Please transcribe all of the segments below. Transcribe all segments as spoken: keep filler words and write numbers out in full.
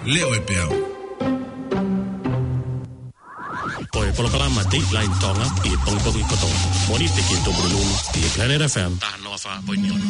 Leo e peau. Ko e polokalama Dateline Tonga ʻi he pongipongi kotoa. Mōnite ki he Tupulelulu ʻi he Planet F M. Taha noa fā poini ono.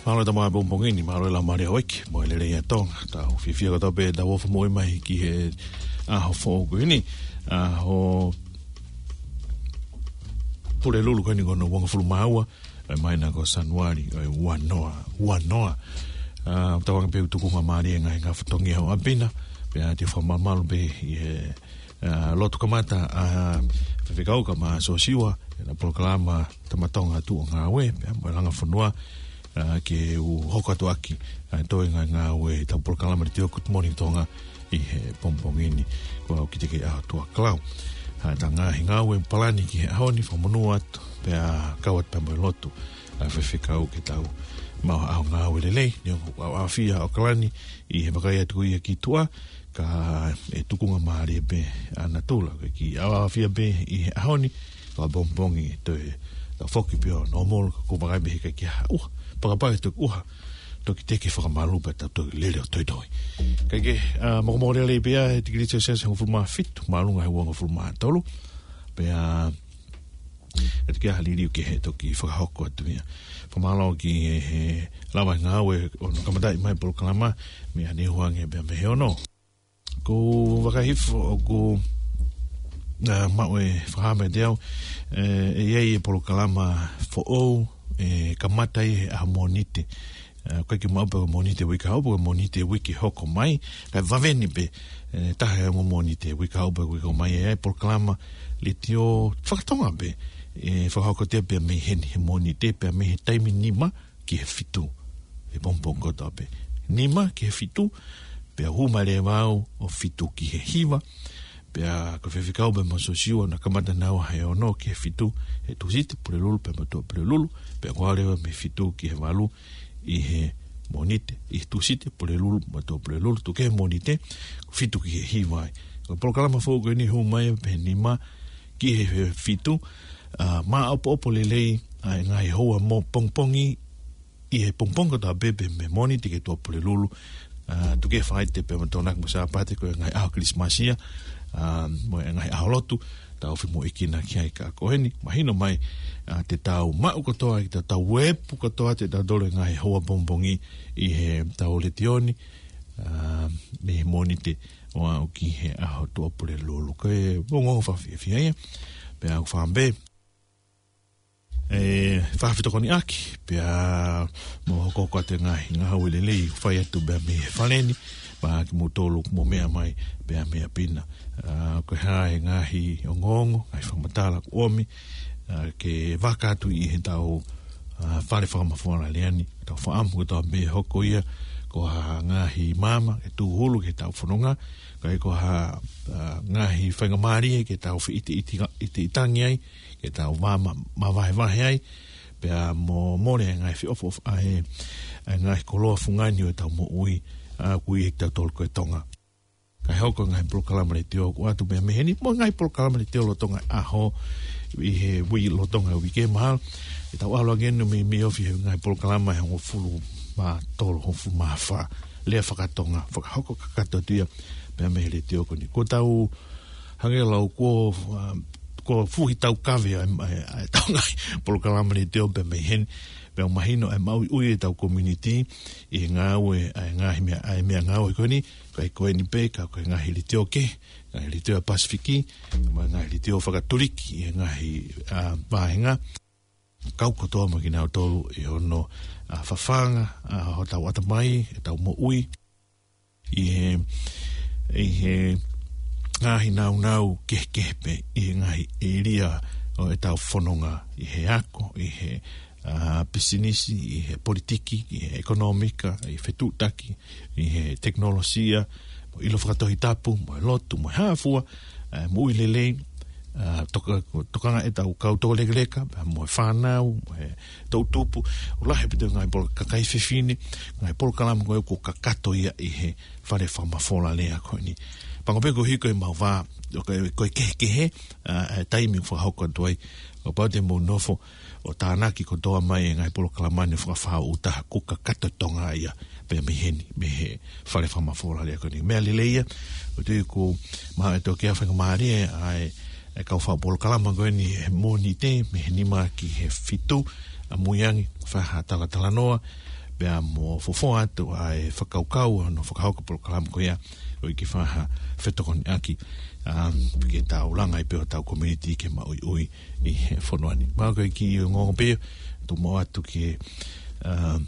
Mālō e tama pongipongi ni, mālō e laumālie ʻo e ʻEiki, mo e lelei ʻa Tonga. Tau fiefia kotoa pē, tau ofa moʻui mai ki he ʻaho foʻou ko eni, ʻaho Pulelulu ko eni ko hono uangofulu mā ua, ʻo e māhina ko Sānuali, ʻo e ua noa, ua noa. ʻA, tauange pē ʻoku tukunga mālie e ngaahi, ngaahi fatongia ʻo ʻapi na, pea te u fakamamalu pē ʻi he, ʻa, lotu kamata, ʻa, Faifekau Kama Sosiua, ʻena polokalama Tama Tonga Tuʻu ʻo Ngāue, pea mo e Langa Fonua, ʻa, ke u hoko atu ʻaki, ʻa, toe ngaahi ngāue ʻetau polokalama Letiō Good Morning Tonga, ʻi he pongipongi ni, ko au ki te ke ʻaho tuʻa kalau. ʻA, ta ngaahi ngāue palani ki he ʻaho ni, fakamonū atu, pea kau atu pea mo e lotu, ʻa, Faifekau ke tau maʻu ha ʻaho ngāue lelei, neongo ʻaofia ʻAokalani ʻi he vakai atu ko ia ki tuʻa, ka ʻe tukunga mālie pē ʻa natula, ko e kiʻi ʻaofia pē ʻi he ʻaho ni, ka pongipongi toe tau foki pē ʻo normal, ka ʻoku vakai pē he ʻikai ke ʻi ai ha ʻuha, fakapapau ʻe toki ʻuha, toki teke fakamalu pea tau toki lele ʻo toitoi. Kae kehe, ʻa, mokomoko lelei pē ʻa e tikilī Celsius hongofulu mā fitu, māʻolunga he uangofulu mā tolu. Pea, ʻe toki ʻi ai ha liliu kehe ʻe toki fakahoko atu ia. Fakamālō ki he, he lava ngāue ʻo hono kamataʻi mai polokalama, meia Neihuange pea mei he ono. Ko e vakai hifo ʻoku, ʻa, maʻu e fakahā mai kiate au, ʻe, ʻe ʻi ai e polokalama foʻou, ʻe kamata ʻi he ʻaho Mōnite. ʻA, ʻoku ʻikai ke maʻu pe ko e Mōnite uike hau, pe ko e Mōnite uike hoko mai, kae vave ni pē, ʻe, taha e ongo Mōnite uike hau pe uike hoko mai, ʻe ʻi ai e polokalama Letiō fakatonga pē, ʻe fakahoko atu ia pea mei heni he Mōnite, pea mei he taimi nima, ki he fitu. He pongipongi kotoa pē. Nima ki he fitu, pea hū mai leva au ʻo fitu ki he hiva, pea ko Faifekau pea mo Sosiua na kamata naua he ono ki he fitu, he Tūsite Pulelulu pea mo Tuʻapulelulu, pea ko au leva mei he fitu ki he valu ʻi he Mōnite, ʻi he Tūsite Pulelulu mo Tuʻapulelulu, tuku kehe Mōnite, fitu ki he hiva ai. Ko e polokalama foʻou ko eni hū mai pē he nima ki he fitu, ʻa, maʻopoʻopo lelei, ʻa, e ngaahi houa mo pongipongi, ʻi he pongipongi kotoa pē pea mei Mōnite ki he Tuʻapulelulu, ʻa, tuku ke fai atu pē mo Tokonaki mo Sāpate ko e ngaahi ʻaho Kilisimasi ia, ʻa, mo e ngaahi ʻaho lotu, tau femoʻuekina ki ai. Ka ko eni, mahino mai, ʻa, te tau maʻu kotoa, te tau uepu kotoa, te tau tolo e ngaahi houa pongipongi ʻi heʻetau letiō ni, ʻa, mei Mōnite ʻo aʻu ki he ʻaho Tuʻapulelulu. Ko e ongoongo fakafiefia ia, pea ʻoku ou fakaʻamu pē ʻe fakafetokoniʻaki, pea mo hokohoko atu e ngaahi ngāue lelei ʻoku fai atu pea mei he fale ni, pea kimoutolu ʻoku mou meʻa mai pea mei ʻapi na. ʻA, ko e hā e ngaahi ongoongo, ngaahi fakamatala ʻoku ʻomi, ʻa, ke vaka atu ʻi heʻetau, ʻa, fale fakamafola lea ni, tau fakaʻamu kotoa pē ʻe hoko ia ko ha ngaahi maama ke tūhulu ki heʻetau fononga, kae ko ha, ʻa, ngaahi faingamālie ke tau feʻiteʻite-, ʻiteʻitangi ai, ke tau vā ma-, mavahevahe ai, pea mo mole e ngaahi feʻofoʻofa ʻa e, ʻa e ngaahi koloa fungani ʻo ʻetau moʻui, ʻa, ʻoku ʻi ai ʻetau tolo ko e Tonga. Kae hoko e ngaahi polokalama letiō ʻoku ʻoatu pē mei heni, mo e ngaahi polokalama letiō lolotonga e ʻaho, ʻi he uike, lolotonga e uike mahalo. ʻE tau ʻalu ange eni mei, mei ofi he ngaahi polokalama ʻe hongofulu mā tolu, hongofulu mā fā. Lea faka-Tonga, fakahoko kakato atu ia pea mei he letiō ko eni. Ko ʻetau hangē lau ko, ʻa, ko e fuʻu taukaveʻi ʻa e, ʻa e, ʻa ʻetau ngaahi polokalama letiō pea mei heni, pea mahino e maʻuiʻui ʻetau community ʻi he ngāue, ʻa e ngaahi meʻa, ʻa e meʻangāue ko eni, kae ko eni pē, ka ko e ngaahi letiō kehe, ngaahi letiō ʻa e Pasifiki, mo e ngaahi letiō fakatuliki ʻi he ngaahi, ʻa, vāhenga, kau kotoa mo kinautolu ʻi hono, ʻa, fafanga, ʻa, hotau ʻatamai, ʻetau moʻui, ʻi he, ʻi he ngaahi nāunau kehekehe pē, ʻi he ngaahi ʻēlia ʻo ʻetau fononga, ʻi he ako, ʻi he, ʻa, pisinisi, ʻi he politiki, ʻi he ʻekonōmika, ʻi he fetuʻutaki, ʻi he tekinolosia, mo e ʻilo fakatohitapu, mo e lotu, mo e hā fua, ʻa, moʻui lelei, ʻa, toka-, tokanga ʻetau kau tokolekeleka, pea mo e fānau, mo e toʻutupu, ʻoku lahi pē ʻetau ngaahi polo-, kakai fefine, ngaahi polokalama ko ē ʻoku kakato ia ʻi he fale fakamafola lea ko eni. Pango pē ko e hiko e mau vā, ʻo ko e, ko e kehekehe, ʻa, ʻa e taimi ʻoku fakahoko atu ai, ʻo kapau te mou nofo ʻo tānaki kotoa mai e ngaahi polokalama ni ʻo fakafāʻūtaha, ʻoku kakato e Tonga ia pea mei heni, mei he fale fakamafola lea ko eni. Meʻa lelei ia, ʻoku ou tui ʻoku maʻu ʻe he tokotaha faingamālie ʻa e, e kau fai polokalama ko eni he Mōnite, mei he nima ki he fitu ʻamui ange, fai ha talatalanoa, pea mo fofoa atu ʻa e fakakaukau ʻo hono fakahoko e polokalama ko ia, ʻo ʻikai ke fai ha fetokoniʻaki, ʻa, ke tau langa ai pē hotau community ke maʻuiʻui ʻi he fonua ni. Mahalo ko e kiʻi ongoongo pē, tau ʻomai atu ke, ʻa,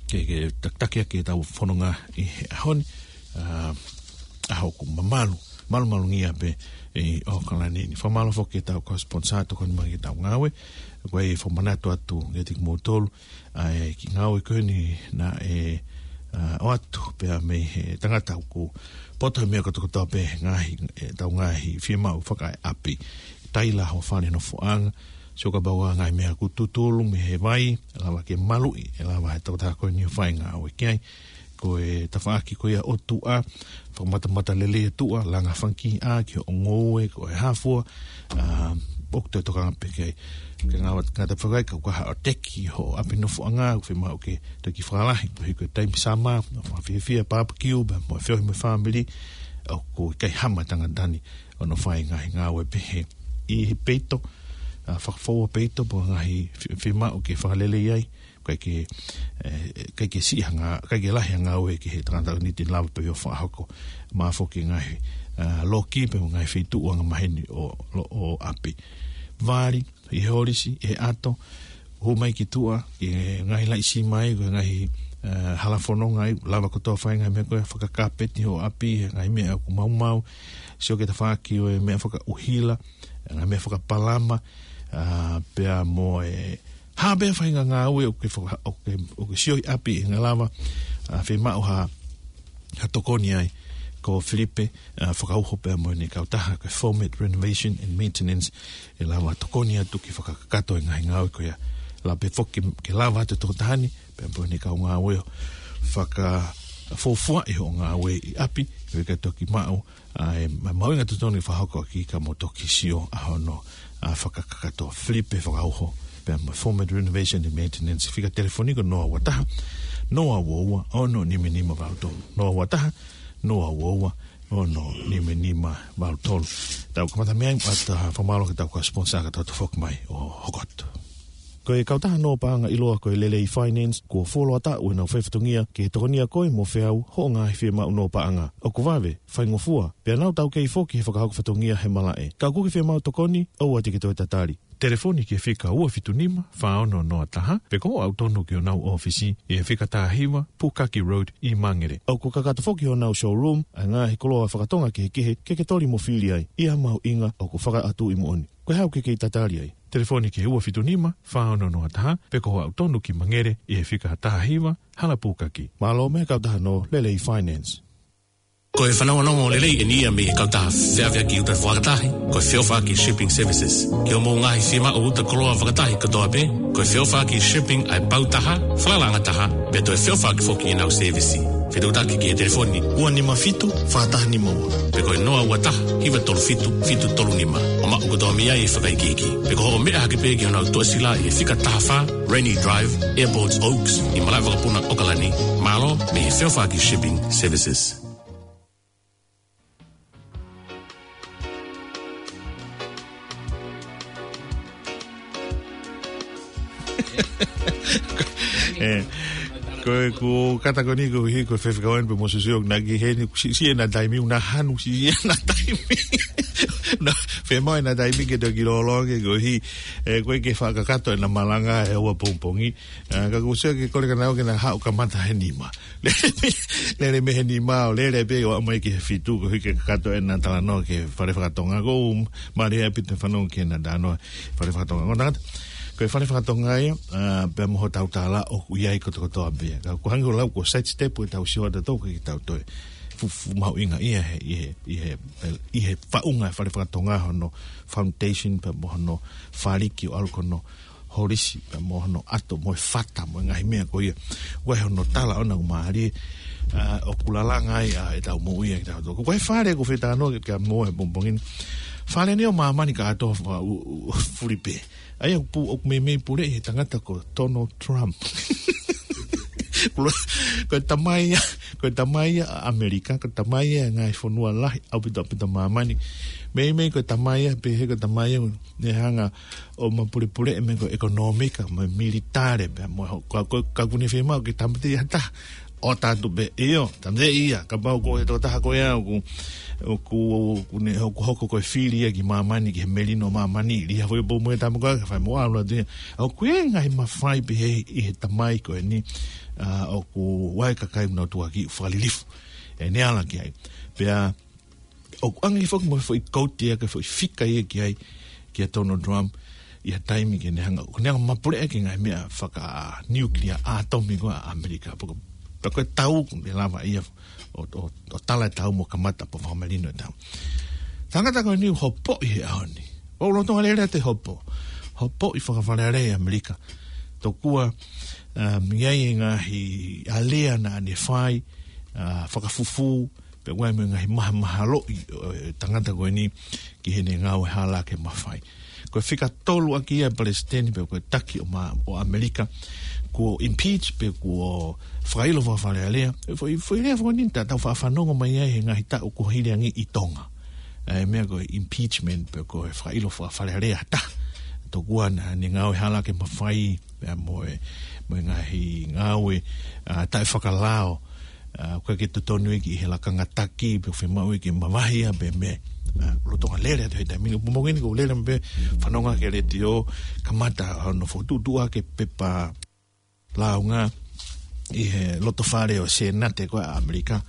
ke, ke takitaki ʻaki ʻetau fononga ʻi he ʻaho ni, ʻa, ʻaho ʻoku mamalu, malumalungia pē ʻi ʻAokalani ni. Fakamālō foki ki heʻetau kau sponsor ʻoku tokoni mai ki heʻetau ngāue, ko e fakamanatu atu kiate kimoutolu, ʻa e kiʻi ngāue ko eni naʻe, ʻa, ʻoatu pea mei he tangata ʻoku poto he meʻa kotokotoa pē he ngaahi, ʻetau ngaahi fiemaʻu fakaʻapi. Taila ho fale nofoʻanga, sio kapau ʻoku ʻi ai ha ngaahi meʻa ʻoku tutulu mei he vai, ʻe lava ke maluʻi, ʻe lava he tokotaha ko eni ʻo fai e ngāue ki ai. Ko e tafaʻaki ko ia ʻo tuʻa, fakamatamata lelei e tuʻa, langa fanga kiʻi ʻā ki hoʻo ngoue, ko e hā fua, ʻa, ʻoku toe tokanga pē ki ai. Ke ngata, ngata pē ki ai, kapau ʻoku ʻi ai haʻo teki hoʻo ʻapi nofoʻanga, ʻoku fiemaʻu ke toki fakalahi, ko e hiko e taimi summer, ʻo fakafiefia barbecue, pea mo e feohi mo e fāmili, ʻoku ʻikai hama e tangata ni ʻo hono fai e ngaahi ngāue pehē. ʻI he peito, ʻa, fakafoua peito, pe ko e ngaahi fi-, fiemaʻu ke fakalelei ai, ʻikai ke, ʻe, ʻikai ke siʻi ha ngā-, ʻikai ke lahi ha ngāue ki he tangata ni te ne lava pē ʻo fakahoko. Mahalo foki e ngaahi, ʻa, loki pea mo e ngaahi feituʻu angamaheni ʻo, ʻo, ʻo ʻapi. Vali, ʻi he holisi, ʻi he ʻato, hū mai ki tuʻa, ki he ngaahi laʻi sima ai, ko e ngaahi, ʻa, hala fononga ai, lava kotoa fai e ngaahi meʻa ko ē, fakakapeti hoʻo ʻapi, he ngaahi meʻa ʻoku maumau, sio ki he tafaʻaki ʻo e meʻa fakaʻuhila, ngaahi meʻa fakapalama, ʻa, pea mo e hā pē ha faʻahinga ngāue ʻoku ke faka-, ʻoku ke, ʻoku ke sio ʻi ʻapi ʻe lava, ʻa, fiemaʻu ha, ha tokoni ai, ko Filipe, ʻa, Fakauho pea mo ʻene kautaha, ko e Format Renovation and Maintenance, ʻe lava tokoni atu ke fakakakato e ngaahi ngāue ko ia. Lava pē foki ke lava atu e tokotaha ni, pea mo ʻene kau ngāue ʻo fakafuofuaʻi hoʻo ngāue ʻi ʻapi, ʻo ʻikai toki maʻu, ʻa e, ma-, mahuʻinga totonu ke fakahoko ʻaki ka mou toki sio ʻa hono, ʻa, fakakakato. Filipe Fakauho, pea mo e Format, Renovation and Maintenance. Fika telefoni ko noa ua taha, noa ua ua, ono nima nima valu tolu. Noa ua taha, noa ua ua, ono nima nima valu tolu. Tau kamata mei ai, ʻoatu ʻa e fakamālō ki heʻetau kau sponsor ka tau toe foki mai ʻo hoko atu. Ko e kautaha nō paʻanga ʻiloa ko e Lelei Finance, kuo fuoloa taʻu ʻenau faifatongia ke tokonia koe mo feau hoʻo ngaahi fiemaʻu nō paʻanga. ʻOku vave, faingofua, pea nau taukei foki he fakahoko fatongia he malaʻe. Ka ʻoku ke fiemaʻu tokoni, ʻoua te ke toe tatali. Telefoni ki he fika ua fitu nima, fā ono noa taha, pe ko hoʻo aʻu tonu ki honau ʻōfisi ʻi he fika taha hiva, Pukaki Road ʻi Mangere. ʻOku kakato foki honau showroom ʻa e ngaahi koloa fakatonga kehekehe ke ke toli mo fili ai, ʻi ha mahuʻinga ʻoku fakaʻatuʻi moʻoni. Ko e hā ʻoku ke kei tatali ai? Telefoni ki he ua fitu nima, fā ono noa taha, pe ko hoʻo aʻu tonu ki Mangere ʻi he fika taha hiva, Hala Pukaki. Mālō mei he kautaha nō Lelei Finance. Ko e fanongonongo lelei eni ia mei he kautaha feʻaveʻaki uta fakatahi, ko e Feʻofaʻaki Shipping Services. Ki hoʻomou ngaahi fiemaʻu uta koloa fakatahi kotoa pē, ko e Feʻofaʻaki Shipping ʻa e pau taha, falalaʻanga taha, pea toe feʻofaʻaki foki ʻenau sēvisi. Fetuʻutaki ki he telefoni ua nima fitu, fā taha nima ua, pe ko e noa ua taha, hiva tolu fitu, fitu tolu nima. ʻO maʻu kotoa mei ai e fakaikiiki. Pe ko hoʻo meʻa hake pē ki honau tuʻasila ʻi he fika taha fā, Rainy Drive, Airport Oaks, ʻi Malaʻevakapuna, ʻAokalani. Mālō mei he Feʻofaʻaki Shipping Services. ʻE, ko e, ko e kata ko eni ko hi, ko e fefekauʻanga pē mo Susi ʻoku na ki heni, siʻi, siʻi ʻena taimi, na hanu, siʻi ʻena taimi. Na, fiemaʻu ʻena taimi ke toki lōloa ke ko hi, ʻe, ko e ke fakakakato ʻena malanga he ua pongipongi. ʻA, ka ʻoku ou sio ke kole kia naua ke na haʻu kamata he nima. Lele mei, lele mei he nima ʻo lele pē ʻo aʻu mai ki he fitu, ko hi ke kakato ʻena talanoa ki he fale fakatonga. ʻOku ou mālieʻia ʻaupito he fanongo ki heʻena talanoa fale fakatonga. Ko e tangata, ko e fale fakatonga ia, ʻa, pea mo hotau tala ʻoku ʻi ai kotokotoa pē. Ka ʻoku hangē ko e lau ko e side step ʻetau sio atu tau ki heʻetau toe fuʻu, fuʻu mahuʻinga ia he, ʻi he, ʻi he, ʻi he faʻunga e fale fakatonga hono foundation pea mo hono faliki ʻo ʻalu ko hono holisi, pea mo hono ʻato, mo e fata, mo e ngaahi meʻa ko ia. ʻOku ʻi ai hono tala ʻoʻona ʻoku mālie, ʻa, ʻoku lalanga ai, ʻa, ʻetau moʻui ʻa kitautolu. Ko e fale ʻoku ou fie talanoa ki ai mo e pongipongi ni. Fale ni ʻo māmani kātoa fa-, u-, u-, fuli pē. ʻA ia ʻoku pu-, ʻoku meimei puleʻi he tangata ko Donald Trump. Ko e tamai ia, ko e tamai ia ʻa ʻAmelika, ko e tamai ia ʻa e ngaahi fonua lahi ʻaupito, ʻaupito māmani. Meimei ko e tamai ia, pehē ko e tamai ia, ne hanga ʻo mapulepuleʻi e meʻa ko e ʻekonōmika, mo e militale, pea mo ho-, ka, ka, ka ʻoku ne fiemaʻu ke tāmateʻi ha taha, ʻo ʻatu pē, ʻio, tāmateʻi ia, kapau ko e tokotaha ko ia, ʻoku, ʻoku, ʻoku ne, ʻoku hoko ko e fili ia ki māmani, ki he melino māmani, ʻi ha foʻi pou mo e tama ko ē, ka fai mo ʻalu atu ia. ʻOku ʻi ai e ngaahi mafai pehē ʻi he tamai ko eni, ʻa, ʻoku ʻi ai e kakai ʻoku nau tukuakiʻi fakalilifu. ʻE ne ala ki ai. Pea, ʻoku ʻange foki mo e foʻi kouti ia, ko e foʻi fika ia ki ai, kia Donald Trump, ʻi ha taimi ke ne hanga, ko ne hanga mapuleʻi e ngaahi meʻa fakanukilia ʻātomi ko ē ʻa ʻAmelika. Pea ko, pea ko e tau, ʻoku ne lava ia ʻo, ʻo, ʻo tala e tau mo kamata pea fakamelino e tau. Tangata ko eni ʻoku hopoʻi he ʻaho ni. ʻOku lolotonga lele atu e hopo. Hopoʻi fakafalealea ʻi ʻAmelika. Tokua, um, ʻi ai e ngaahi alea naʻa ne fai, ʻa, fakafufū, pea ʻoku ʻi ai mo e ngaahi mahamahaloʻi ʻo e tangata ko eni ki heʻene ngāue hala ake mafai. Ko e fika tolu ʻaki ia e palesiteni pe ko e taki ʻo ma-, ʻo ʻAmelika, kuo impeach pe kuo fakaʻilo fakafalealea. Foʻi, foʻi lea foki eni naʻa tau faʻa fanongo mai ai he ngaahi taʻu kuo hili ange ʻi Tonga. ʻA e meʻa ko e impeachment pe ko e fakaʻilo fakafalealea ha taha. Tokua naʻa ne ngāue hala ake mafai, pea mo e, mo e ngaahi ngāue, ʻa, taʻefakalao, ʻa, ʻoku ʻikai ke totonu ia ki he lakanga taki, pe ʻoku fiemaʻu ia ke mavahe ia, pe meʻa, ʻa, lolotonga lele atu he taimi ni. Pongipongi ni ʻoku ou lele pē fanongo ki he letiō, kamata hono fokotuʻutuʻu ʻaki e pepa lāunga ʻi he loto fale ʻo e Sēnate ko ē ʻa ʻAmelika,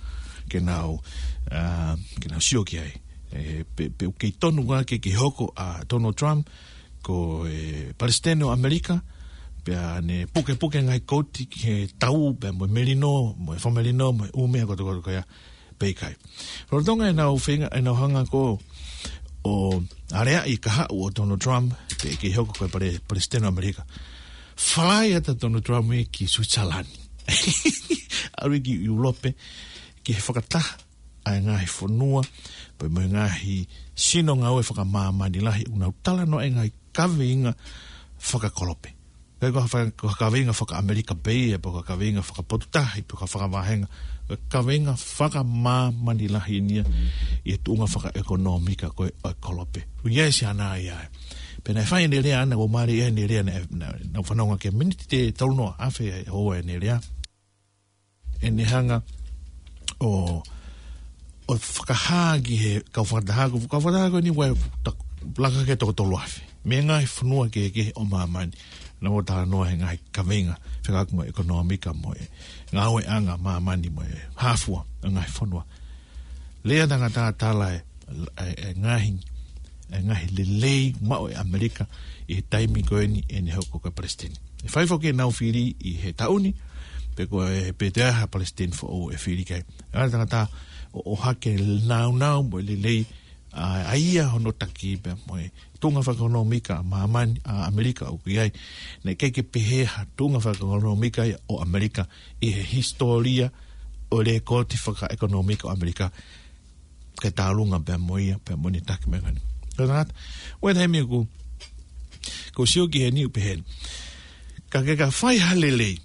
ke nau, ʻa, ke nau sio ki ai. ʻE, pe, pe ʻoku kei tonu ʻa ke, ke hoko ʻa Donald Trump ko e palesiteni ʻo ʻAmelika, pea ne pukepuke e ngaahi kouti ki he tau, pea mo e melino, mo e fakamelino, mo e ʻū meʻa kotokoto ko ia, pe ʻikai. Lolotonga ʻenau feinga, ʻenau hanga ko ē ʻo aleaʻi e kahaʻu ʻo Donald Trump, ke, ke hoko ko e pale-, palesiteni ʻo ʻAmelika. Falaʻi atu ʻa Donald Trump ia ki Suitisalani. ʻAlu ia ki ʻIulope, ki he fakataha ʻa e ngaahi fonua, pea mo e ngaahi sino ngāue fakamāmani lahi, ʻoku nau talanoa e ngaahi kaveinga, fakakolope. ʻIkai ko ha fa-, ko ha kaveinga faka-ʻAmelika pē ia, pe ko ha kaveinga fakapotutahi, pe ko ha fakavahenga. Ko e kaveinga fakamāmani lahi eni ia ʻi he tuʻunga fakaʻekonōmika ko ē ʻo e kolope. ʻOku ʻi ai e siana ia ē. Pea naʻe fai ʻene lea ʻana, ʻoku mālie ʻene lea naʻe, naʻe, naʻe fanongo ki ai miniti ʻe tolunoa, afe ʻe ua ʻene lea. ʻEne hanga ʻo, ʻo fakahā ki he kau fakataha ko, kau fakataha ko eni ʻoku ta-, laka ki he toko tolu afe. Mei he ngaahi fonua kehekehe ʻo māmani. Naʻa nau talanoa he ngaahi kaveinga fekauʻaki mo e ʻekonōmika mo e ngāueʻanga māmani mo e hā fua ʻa e ngaahi fonua. Lea tangata tala e, e, e ngaahi, e ngaahi lelei maʻu ʻe ʻAmelika ʻi he taimi ko eni ʻene hoko ko e palesiteni. ʻE fai foki ʻenau fili ʻi he taʻu ni, pe ko e pe te aha palesiteni foʻou ʻe fili ki ai. ʻA e tangata ʻo, ʻohake nāunau mo e lelei, ʻa, ʻa ia hono taki pea mo e tuʻunga fakaʻekonōmika ʻa māmani, ʻa ʻAmelika ʻoku ʻi ai. Naʻe ʻikai ke pehē ha tuʻunga fakaʻekonōmika ia ʻo ʻAmelika ʻi he hisitōlia ʻo e lēkooti fakaʻekonōmika ʻo ʻAmelika. Ke tālunga pea mo ia, pea mo ʻene taki mai ko eni. Ko e tangata, ʻoku ʻi ai e taimi ʻoku, ʻoku ou sio ki heni ʻoku pehē ni. Ka ke ka fai ha lelei,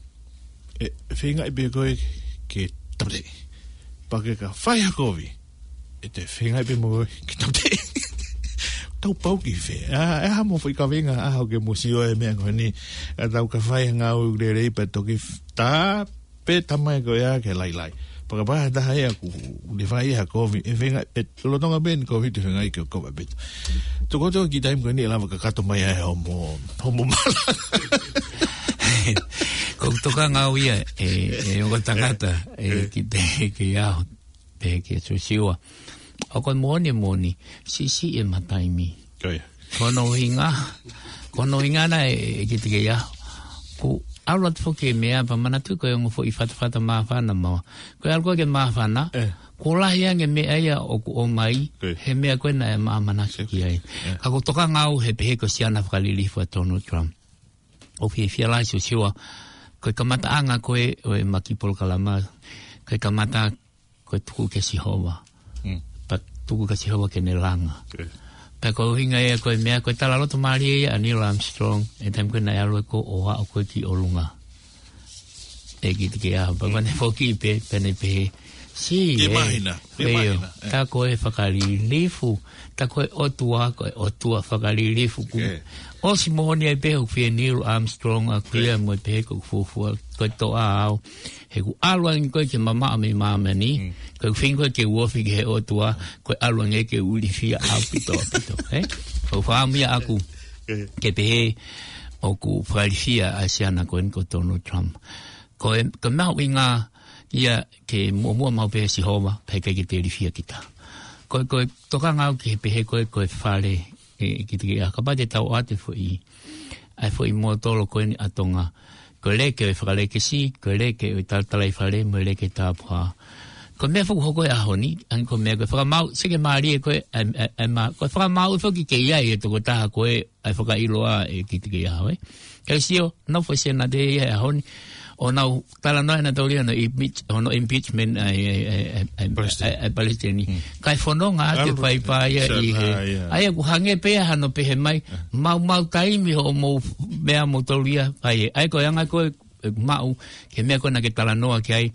ʻe, feingaʻi pē koe ke tāmateʻi. Pea ke ka fai ha kovi, ʻe te feingaʻi pē mo koe ke tāmateʻi. Tau pau ki fē. ʻA, ʻe hā mo e foʻi kaveinga, ʻa, ʻoku ke mou sio he meʻa ko eni. ʻA, tau ka fai ha ngāue lelei pea toki f-, tā, pē tamai ko ia ke lailai. Pea kapau ʻe taha ia ʻoku ne fai ha kovi, ʻe feinga, ʻe lolotonga pē ʻene kovi te feinga ke kovi pē. Toko toko ki he taimi ko eni ʻe lava kakato mai ai homo, homo mala. Ko e tokanga au ia, ʻe, ʻe ongo tangata, ʻe, ʻe, ki te, ki aho, pe ki Siosiua. ʻOku moʻoni, moʻoni, siʻisiʻi ʻema taimi. Ko ia. Ko hono ʻuhinga, ko hono ʻuhinga naʻe, ʻe, ʻe kiate au. Ko e ʻalu atu foki e meʻa pea manatuʻi ko e ongo foʻi fatafata māfana mo. Ko e ʻalu ko ē ke māfana, ʻe, kuo lahi ange e meʻa ia ʻoku ʻomai, ko ia, he meʻa ko ē naʻe māmani ki ai. Sio. ʻE. Ka ʻoku ou tokanga au he pehē ko e siana fakalilifu ʻa Donald Trump. ʻOku fiefia lahi Siosiua, ko e kamataʻanga ko ē ʻo ʻema kiʻi polokalama, ko e kamata ko e tuku kia Sihova. Mm. Pea tuku kia Sihova ke ne langa. Ko ia. Pea ko e ʻuhinga ia ko e meʻa ko e talaloto mālie ia ʻa Neil Armstrong, he taimi ko ē naʻe ʻalu ko ē ʻo aʻu ko ē ki ʻolunga. ʻE kiate au, pea ko ʻene foki pē, pea ne pehē, sī, ke, ʻe, mahina, ke, ʻio, mahina, ʻe, tā ko e fakalilifu, tā ko e ʻOtua, ko e ʻOtua fakalilifu, ko e, ʻosi moʻoni ai pē ʻoku fie Neil Armstrong ʻaku ia, ko ia, mo e pehē ko e fuofua, ko e toʻa au. He ʻoku ʻalu ange ko ē ke mamaʻo mei māmani, mm, ko e feinga ko ē ke u ofi ki he ʻOtua, ko e ʻalu ange ke u ilifia ʻaupito, ʻaupito, ē? Ko e fakaʻamu ia ʻaku, ʻe, ke pehē, ʻoku fakailifia ʻa e siana ko eni ko Donald Trump. Ko e, ko e mahuʻinga ia ke muʻomuʻa maʻu pē ʻia Sihova, pea ʻikai ke te ilifia kita. Ko e, ko e tokanga au ki he pehē ko ē, ko e fale, ʻe, kiate au, kapau te tau ʻoatu e foʻi, ʻa e foʻi mōtolo ko eni ʻa Tonga. Ko e leke ʻo e fakalekesi, ko e leke ʻo e talatalaifale, mo e leke tapuhā. Ko e meʻa foki ʻoku hoko he ʻaho ni, ʻa ia ko e meʻa ko e fakamaau, sio ki he mālie ko ē, ʻa e, ʻa e, ʻa e mā-, ko e fakamaau foki ke ʻi ai e tokotaha ko ē, ʻa e fakaʻiloa ʻe kiate au, ē. Kae sio, nau foʻi senate ia he ʻaho ni, ʻo nau talanoa ʻenau taulia hono impeach-, hono impeachment ʻa e, ʻa e, ʻa e, ʻa e, ʻa e, ʻa e, ʻa e palesiteni. Mm. Kae fononga atu e faiva ia ʻi he. ʻA ia ʻoku hangē pē ia hano pehē mai, maumau taimi hoʻomou meʻa mou taulia, ʻa ia, ʻa ia ko e anga ko ē, ʻe maʻu, ki he meʻa ko ē naʻa ke talanoa ki ai,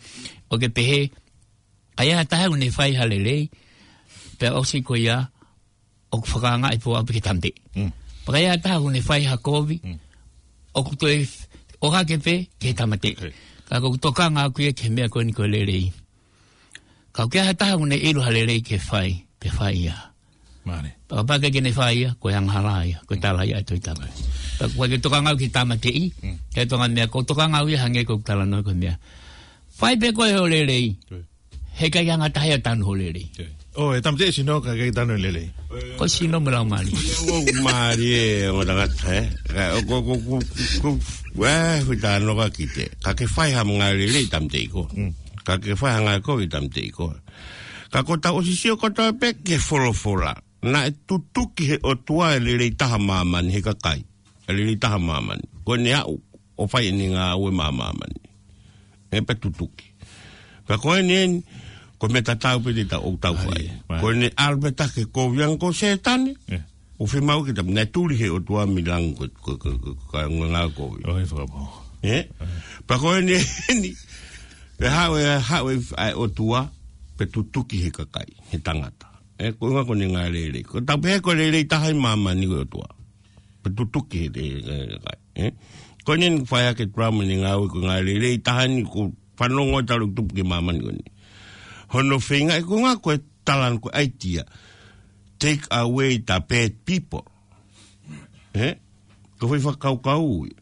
ʻo ke pehē, ʻa ia ha taha ʻoku ne fai ha lelei, pea ʻosi ko ia, ʻoku fakaangaʻi pē ʻo aʻu pē ke tāmateʻi. Mm. Pea ka ʻi ai ha taha ʻoku ne fai ha kovi, mm, ʻoku toe f-, ʻohake pē ke tāmateʻi. Okay. Ka ʻoku ou tokanga ʻaku ia ki he meʻa ko eni ko e lelei. Ka ʻoku ʻi ai ha taha ʻoku ne ʻilo ha lelei ke fai, pea fai ia. Mālie. Pea kapau ʻikai ke ne fai ia, ko e angahala ia, ko e tala ia ʻa e Tohi Tapu. Okay. Pea ʻoku ʻikai ke tokanga au ki he tāmateʻi, mm, ke tokanga meʻa, ʻoku ou tokanga au ia hangē ko ʻeku talanoa ko e meʻa. Fai pē ko ē hoʻo lelei. Okay. He ʻikai ke anga taha ia ʻo tanu hoʻo lelei. ʻO, ʻe tāmateʻi e sino ka ʻikai tanu e lelei. Ko e sino mo e laumālie. ʻOku mālie ʻo tangata, ē? Ka, ʻo, ko, ko, ko, ko, ē, hui tano ka kite. Ka ke fai ha ngāue lelei tāmateʻi koe. Mm. Ka ke fai ha ngāue kovi tāmateʻi koe. Ka ko ʻetau ʻosi sio kotoa pē ki he folofola. Naʻe tutuki ʻe he ʻOtua e lelei taha ʻo māmani he kakai. E lelei taha ʻo māmani. Ko ʻene aʻu ʻo fai ʻene ngāue maʻa māmani. ʻE pea tutuki. Ka ko eni eni, ko e meʻa tatau pē te tau ʻoku tau fai. ʻAi, ʻai. Ko ʻene ʻalu pē taha ke kovi ange ko Sētane. ʻE. ʻOku fiemaʻu ke tau, naʻe tuli he ʻOtua mei langi ko, ko, ko, ko, ko, ngā ngā kovi. ʻOi, fakapō. Ē? Pea ko eni, eni. Pea haʻu e, haʻu e, ʻa e ʻOtua, pea tutuki he kakai, he tangata. Ē, ko e ʻuhinga ko eni ngaahi lelei. Ko tau pehē ko e lelei taha ʻi māmani ko e ʻOtua. Pea tutuki he, he, he kakai. Ē? Ko eni eni fai ake Trump ʻene ngāue ko e ngaahi lelei taha eni ko e fanongo talu tupu ki māmani ko eni. Hono feinga, ē, ko e ʻuhinga ko e talanoa ko e idea. Take away the bad people. Ē? Ko e foʻi fakakaukau ia.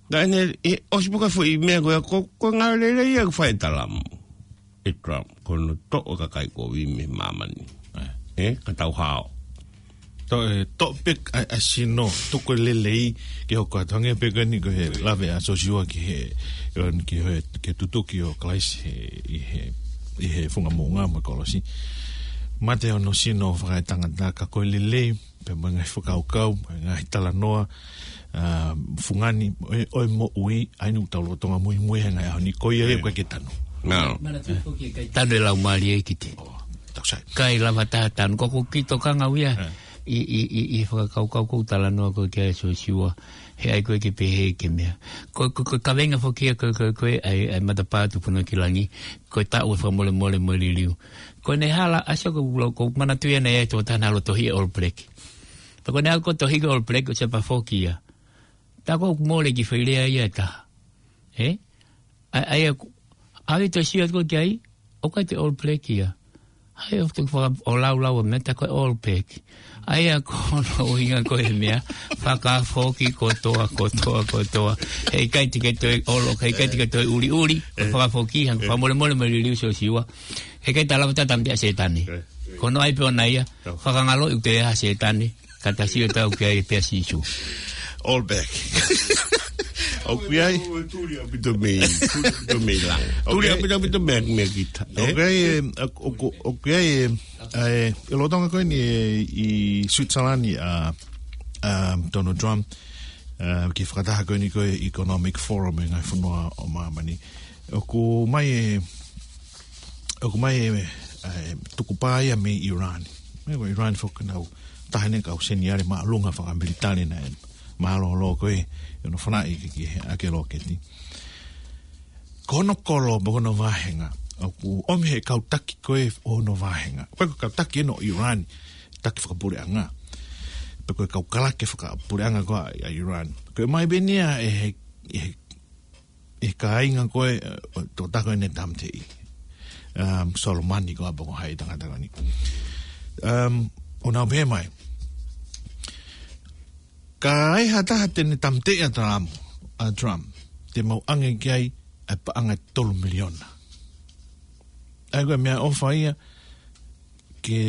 Naʻa ne, ʻe, ʻosi pē ko e foʻi meʻa ko ia, ko, ko e ngaahi lelei ia ʻoku fai ʻe Trump. ʻE Trump, ko hono toʻo e kakai kovi mei māmani. Ē. Ē, ka tau hao. Toʻo, ē, toʻo pē ʻa, ʻa e sino, tuku e lelei, ke hoko atu hangē pē ko eni ko e lave ʻa Sosiua ki he, ki he, ki he tutuki ʻo Kalaisi he, ʻi he, ʻi he funga moʻunga mo e kolosi. Mate hono sino fakaetangata ka ko e lelei, pea mo e ngaahi fakakaukau, mo e ngaahi talanoa, ā, fungani, ʻo e, ʻo e moʻui, ʻa eni ʻoku tau lolotonga muimui he ngaahi ʻaho ni, ko ia ia ʻoku ʻikai ke tanu. Nā. Manatuʻi foki ʻe ʻikai tanu e Laumālie ki te. ʻO, tau sai. ʻIkai lava taha tanu, ko ʻeku kiʻi tokanga au ia. Ē. ʻI, ʻi, ʻi, ʻi he fakakaukau ko e talanoa ko ē kia Sosiua, he ʻai ko ē ke pehē ke meʻa. Ko, ko, ko e kaveinga foki ia ko, ko, ko e, ʻai, ʻai matapā tupu noa ki langi, ko e taʻu e fakamolemole mo e liliu. Ko ʻene hala, ʻa Sosiua ko, ko, ko manatuʻi ʻana ia e tokotaha naʻa ne ʻalu ʻo tohiʻi e All Black. Pea ko ʻene ʻalu ko ē ʻo tohiʻi ko e All Black, ʻosi pea foki ia. Tā ko ʻoku mole ki fai lea ia ʻe taha. Ē? ʻA, ʻa ia ko, ʻave ʻo sio atu ko ē ki ai, ʻoku ʻikai te All Black ia. ʻA ia ʻoku toki faka-, ʻo laulau ʻa e meʻa tā ko e All Black. ʻA ia ko hono ʻuhinga ko e meʻa, fakafoki kotoa, kotoa, kotoa. Heʻikai te ke toe ʻolo, heʻikai te ke toe ʻuliʻuli, ē, fakafoki, hangē ko e fakamolemole mo e liliu Sosiua. Heʻikai te lava ʻo tāmateʻi ʻa Sētane. Ē, ē. Ko hono ʻai pē ʻona ia, tau, fakangaloʻi ʻoku toe ʻi ai ʻa Sētane, ka ta sio atu ki ai pē ʻa Sīsū. All Black. ʻOku ʻi ai. Tuli ʻaupito mei, tuli ʻaupito mei langi. ʻOku ʻi ai. Tuli ʻaupito, ʻaupito mei, mei kita. Ē? ʻOku ʻi ai, ē, ʻoku, ʻoku, ʻoku ʻi ai, ē, ē, ʻi he lolotonga ko eni, ē, ʻi Switzerland, ā, ā, Donald Trump, ā, ki he fakataha ko eni ko e Economic Forum ʻa e ngaahi fonua ʻo māmani. ʻOku ʻomai e, ʻoku ʻomai e, e tukupā ia mei Iran. Meʻa ko Iran foki nau taha eni e kau seniale māʻolunga fakamelitali naʻe mālōlō ko ē ʻi hono fanaʻi ki, ki he ʻakē loketi. Ko hono kolo, pe ko hono vāhenga, ʻoku ʻomi ʻe he kau taki ko ē ʻo hono vāhenga. Ko e kau taki eni ʻo Iran, taki fakapuleʻanga. Pe ko e kau kalake fakapuleʻanga ko ē ʻa Iran. Ko e ʻomai pē eni ia ʻe he, ʻe he ʻe he kāinga ko ē, ē, tokotaha ko ē naʻe tāmateʻi. Um, Solomani ko ē pe ko hai tangata ko eni. Um, ʻo nau pehē mai. Ka ai ha taha te ne tāmateʻi ʻa Trump, ʻa Trump, te mau ʻange ki ai ʻa e paʻanga ʻe tolu miliona. ʻA ia ko e meʻaʻofa ia, ke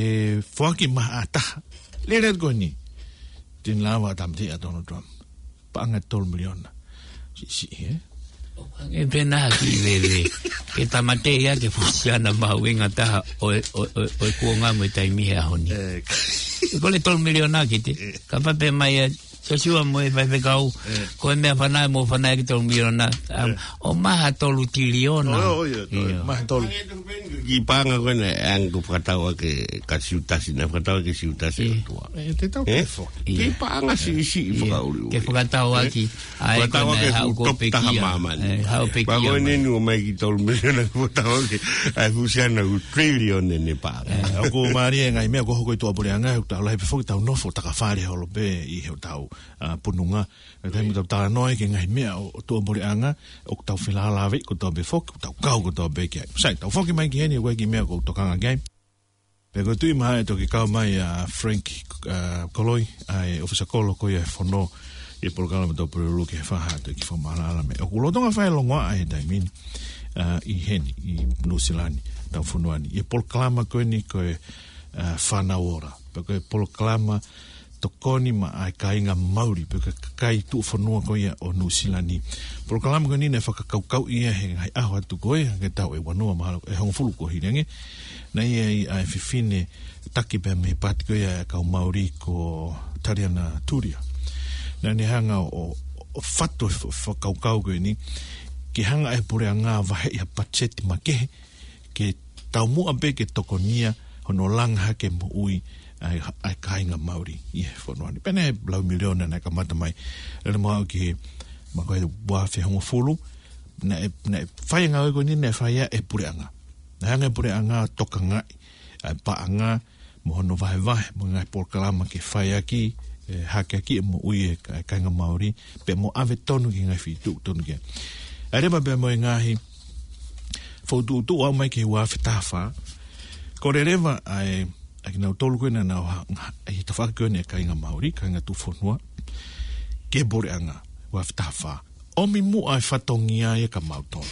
foaki mai ha taha. Lele ko eni. Te ne lava ʻo tāmateʻi ʻa Donald Trump. Paʻanga ʻe tolu miliona. Siʻisiʻi, ē? ʻOku hangē pē naʻa ki veve. Ke tāmateʻi ia ke fusiana mahuʻinga taha ʻo e, ʻo e, ʻo e, ʻo e kuonga mo e taimi he ʻaho ni. Ē, ʻe kole tolu miliona ki te. Ē. Kapau pē mai ʻa Sosiua mo e faifekau, ē, ko e meʻa fanai mo fanai ki tolu miliona, um, ē, ʻomai ha tolu tiliona. ʻO, ʻo, ʻio, ʻio. ʻOmai ha tolu. Ki paʻanga ko ena, ʻa ē ʻoku fakatau ʻaki ʻa Siutasi, naʻe fakatau ʻaki ʻe Siutasi, ʻio, ʻOtua. Ē, te tau, ē? Ke fo-, ʻio, ki paʻanga siʻisiʻi, ʻio, fakaʻuliʻuli. Ke fakatau ʻaki, ē? Ā, fakatau ko ē ʻaki e haʻu ko e top taha pekia. Māmani. Ē, haʻu pekia. Pea ko eni mai. Eni ʻomai ki tolu miliona, fakatau ʻaki ʻa e fusiana ʻoku trillion ʻene paʻanga. Ē, ʻoku mālie e ngaahi meʻa ʻoku hoko ʻi tuʻapuleʻanga, ʻoku tau lahi pē foki tau nofo takafale holo pē ʻi hotau, ā, pununga. ʻA e taimi ʻoku tau talanoa ai ki he ngaahi meʻa ʻo, ʻo tuʻapuleʻanga, ʻoku tau felālāveʻi kotoa pē foki, ʻoku tau kau kotoa pē ki ai. Sai, tau foki mai ki heni, ʻoku ʻi ai e kiʻi meʻa ʻoku ou tokanga ki ai. Pea ko e tuʻi mai ʻe toki kau mai ʻa Frank, ā, Koloi, ʻa e ʻōfisa kolo ko ia ʻo e fono, ʻi he polokalama Tau Pulelulu ki he Faha, toki fakamaʻalaʻala mai. ʻOku lolotonga fai e longoaʻa he taimi ni, ā, ʻi heni, ʻi Nuʻusila ni, tau fonua ni. ʻI he polokalama ko eni ko e, ā, Fānau Ora. Pea ko e polokalama tokoni maʻa e kāinga Mauli, pe ko e kakai tuʻufonua ko ia ʻo Nuʻusila ni. Polokalama ko eni naʻe fakakaukauʻi ia he ngaahi ʻaho atu ko ē, hangē tau ʻe ua noa mahalo, ʻe hongofulu kuo hili ange. Naʻe ʻi ai ʻa e fefine taki pē mei he paati ko ia ʻa e kau Mauli ko Taliana Tulia. Naʻa ne hanga ʻo, ʻo fatu e fa-, fakakaukau ko eni, ke hanga ʻe he puleʻanga ʻo vaheʻi ha patiseti makehe, ke taumuʻa pē ke tokonia hono langa hake moʻui ʻa e, ʻa e kāinga Maori ʻi he fonua ni. Pea naʻe lau miliona naʻe kamata mai. Lele mai ki he, ma ko e ua afe hongofulu, naʻe, naʻe fai e ngāue ko eni, naʻe fai ia ʻe he puleʻanga. Naʻe hanga ʻe he puleʻanga ʻo tokangaʻi ʻa e paʻanga, mo hono vahevahe, mo e ngaahi polokalama ke fai ʻaki, ʻe, hake ʻaki e moʻui ʻa e ka-, kāinga Maori, pea mo ʻave tonu ki he ngaahi feituʻu tonu ki ai. ʻAi leva pea mo e ngaahi fokotuʻutuʻu ʻo aʻu mai ki he ua afe taha fā. Kole leva ʻa e, ʻa kinautolu ko ē naʻa nau ha-, ha-, ʻi he tafaʻaki ko eni ʻa e kāinga Maori, kāinga tuʻufonua, ki he puleʻanga, ua afe taha fā. ʻOmi muʻa e fatongia ia kia mautolu.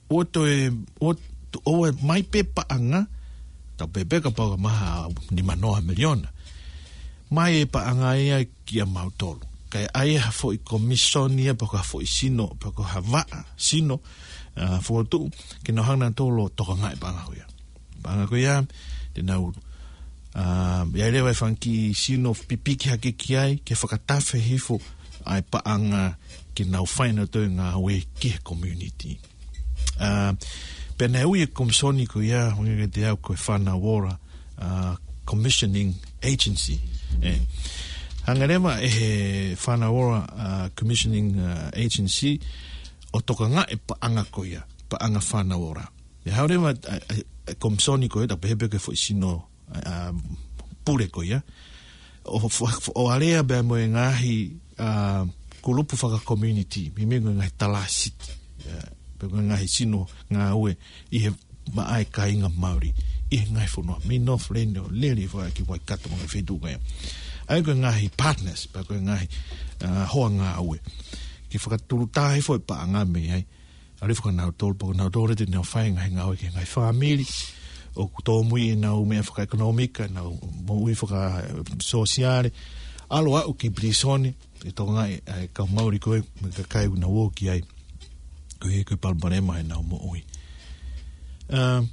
ʻOua toe, ʻoua, ʻoua mai pē paʻanga, tau pehē pē kapau ka maha nima noa miliona. Mai e paʻanga ia kia mautolu. Kae ʻai ha foʻi komisoni ia pe ko ha foʻi sino, pe ko ha vaʻa sino, ʻa, fokotuʻu, ke nau hanga nautolu ʻo tokangaʻi e paʻanga ko ia. Paʻanga ko ia, te nau, ʻa, ʻe ʻi ai leva e fanga kiʻi sino pipiki hake ki ai, ke fakatafe hifo ʻa e paʻanga ke nau fai nautolu e ngāue ki he community. ʻA, pea naʻe ui e komisoni ko ia, hangē kiate au ko e Fānau Ora, ʻa, Commissioning Agency. ʻE. Hanga leva ʻe he Fānau Ora, ʻa, Commissioning, ʻa, Agency, ʻo tokangaʻi e paʻanga ko ia, paʻanga Fānau Ora. ʻE haʻu leva, ʻa, ʻa, ʻa e komisoni ko ia, tau pehē pē ko e foʻi sino, ʻa, ʻa, pule ko ia. ʻO fa-, fa-, ʻo alea pea mo e ngaahi, ʻa, kulupu faka-community, meimei ko e ngaahi talāsiti, ʻa, pe ko e ngaahi sino ngāue ʻi he maʻa e kāinga Maori, ʻi he ngaahi fonua, mei Northland ʻo lele ʻo aʻu ki Waikato mo e ngaahi feituʻu ko ia. ʻA ia ko e ngaahi partners, pe ko e ngaahi, ʻa, hoa ngāue. Ke fakatulutā hifo e paʻanga mei ai. ʻAlu hifo kia nautolu, pea ko nautolu te nau fai e ngaahi ngāue ki he ngaahi fāmili, ʻoku tōmui ʻenau meʻa fakaʻekonōmika, ʻenau moʻui fakasōsiale, ʻalu ʻo aʻu ki pilīsone, ʻe tokangaʻi ʻa e kau Maori ko ē, mo e kakai ʻoku nau ō ki ai, koeʻuhi ko e palopalema ʻenau moʻui. ʻA,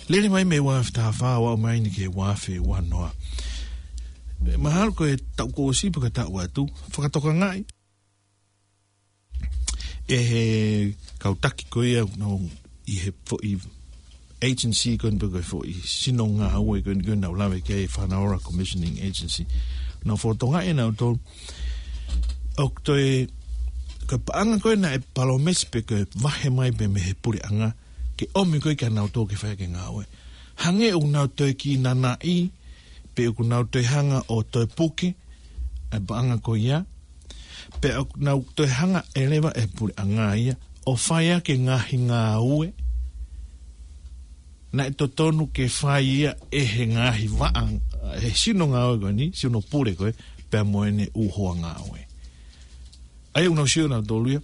lele mai mei he ua afe taha fā ʻo aʻu mai eni ki he ua afe ua noa. Mahalo ko e taʻu kuo ʻosi pe ko e taʻu atu, fakatokangaʻi ʻe he kau taki ko ia ʻoku nau ʻi he foʻi agency ko eni pe ko e foʻi sino ngāue ko eni ʻoku nau lave ki ai, Fānau Ora Commissioning Agency. Nau fakatokangaʻi ʻe nautolu ʻoku toe, ko e paʻanga ko ē naʻe palōmesi pe ko e vahe mai pē mei he puleʻanga ke ʻomi ko ē kia nautolu ke fai ʻaki e ngāue. Hangē ʻoku nau toe kiʻi nanaʻi, pe ʻoku nau toe hanga ʻo toe puke ʻa e paʻanga ko ia, pe ʻoku nau toe hanga ʻe leva ʻe he puleʻanga ia ʻo fai ʻaki e ngaahi ngāue naʻe totonu ke fai ia ʻe he ngaahi vaʻa, ʻe he sino ngāue ko eni, sino pule ko ē, pea mo ʻene ʻū hoa ngāue. ʻA ia ʻoku nau sio nautolu ia,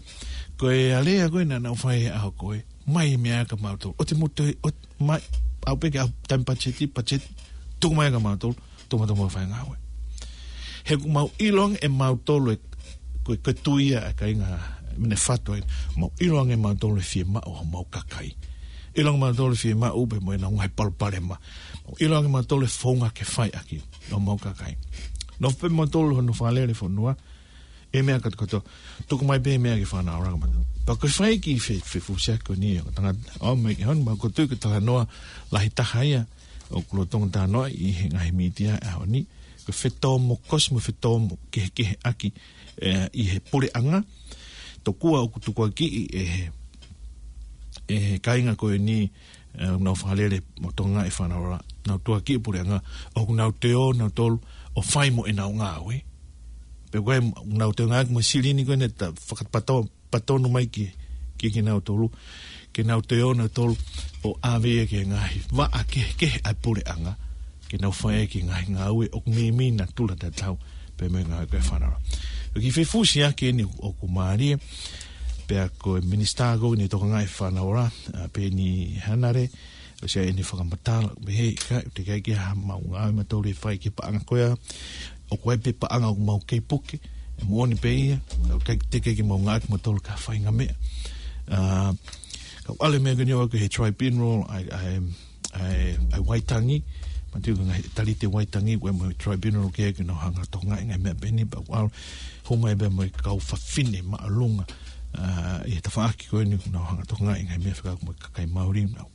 ko e alea ko ē naʻa nau fai he ʻaho ko ē, mai e meʻa kia mautolu. ʻOua te mou toe, ʻoua, mai, aʻu pē ki he ʻaho taimi patiseti, patiseti, tuku mai kia mautolu, tuku mautolu mo fai e ngāue. He ʻoku mau ʻilo ange ʻe mautolu e, ko e, ko e tui ia ʻa e kāinga mene fato ai, mau ʻilo ange ʻe mautolu e fiemaʻu ʻa homau kakai. ʻIlo ange ʻe mautolu e fiemaʻu pea mo ʻenau ngaahi palopalema. Mau ʻilo ange ʻe mautolu e founga ke fai ʻaki ʻa homau kakai. Nofo pē mautolu hono fakalele fonua, e meʻa kātoa kātoa, tuku mai pē e meʻa ki he Fānau Ora kia mautolu. Pea ko e fai e kiʻi fe-, fefusiaki ko eni ʻo e tangata, ʻo mai ki heni, pea ʻoku ou tui ko e talanoa lahi taha ia ʻoku lolotonga talanoaʻi ʻi he ngaahi mītia he ʻaho ni, ko e fetōmokosi mo e fetōkehekeheʻaki, ʻe, ʻi he puleʻanga, tokua ʻoku tukuakiʻi ʻe he, ʻe he kāinga ko eni, ʻe, ʻoku nau fakalele mo tokangaʻi e Fānau Ora, nau tukuakiʻi e puleʻanga, ʻoku nau toe ō nautolu ʻo fai mo ʻenau ngāue. Pe ko e, ʻoku nau toe ngāueʻaki mo e silini ko eni ʻe ta-, fakapato-, patonu mai ki, ki, kinautolu, ke nau toe ō nautolu ʻo ʻave ia ki he ngaahi vaʻa kehekehe ʻa e puleʻanga, ke nau fai ʻaki e ngaahi ngāue ʻoku meimei natula tatau pē mo e ngāue ko ē ʻa e Fānau Ora. Ko e kiʻi fefusiaki eni ʻoku mālie, pea ko e minisitā ko eni ʻoku tokangaʻi e Fānau Ora, ʻa Peni Hanare, ʻosi ʻai ʻene fakamatala, pehē ʻikai, teʻeki ai ke ʻi ai ha maʻu ngāue ʻe mautolu ʻe fai ki he paʻanga ko ia, ʻoku ʻi ai pē paʻanga ʻoku mau kei puke, ʻe moʻoni pē ia, ʻoku ʻikai, teʻeki ai ke mau ngāueʻaki ʻe mautolu ki ha faʻahinga meʻa. ʻA, kau ʻalu e meʻa ko eni ʻo aʻu ki he tribunal, ʻa e, ʻa e, ʻa e, ʻa e Waitangi, manatu ki he ngaahi talite Waitangi, ʻoku ʻi ai mo e tribunal ko ē ke nau hanga ʻo tokangaʻi e ngaahi meʻa pehē ni, pea ʻoku ʻalu, hū mai pē mo e kau fafine māʻolunga, ʻa, ʻi he tafaʻaki ko eni ʻoku nau hanga ʻo tokangaʻi e ngaahi meʻa fekauʻaki mo e kakai Maori, nau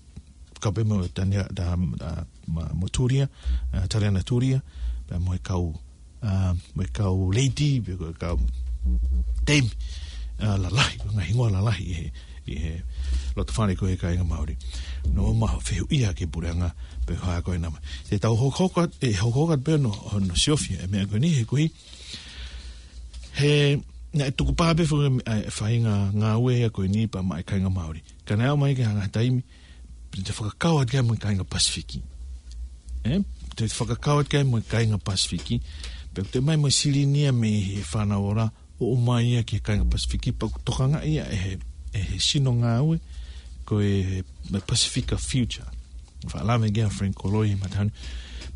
kau pē mo Tania, ta, ta, ma, mo Turia, ʻa, Tariana Turia, pea mo e kau, ʻa, mo e kau lady, pe ko e kau temi, ʻa, lalahi, ngaahi hingoa lalahi ʻi he, ʻi he loto fale ko ē ʻa e kāinga Māori. Naʻa mau fehuʻia ki he puleʻanga, pe ko e hā ko ē naʻa mau. Te tau hokohoko atu, ʻe hokohoko atu pē hono, hono siofi ʻa e meʻa ko eni he ko e, he, naʻe tukupā pē foki ʻa e faʻahinga ngāue ia ko eni pea maʻa e kāinga Māori. Ka naʻe aʻu mai ki he ngaahi taimi, te fakakau atu ki ai mo e kāinga Pasifiki. ʻE? Te fakakau atu ki ai mo e kāinga Pasifiki. Pea te ʻomai mo e silini ia mei he fānau ola, ʻo ʻomai ia ki he kāinga Pasifiki, pea ʻoku tokangaʻi ia ʻe he, ʻe he sino ngāue, ko e, e Pasifika Future. Fakalave ki ai ʻa Frank Koloi, matahani.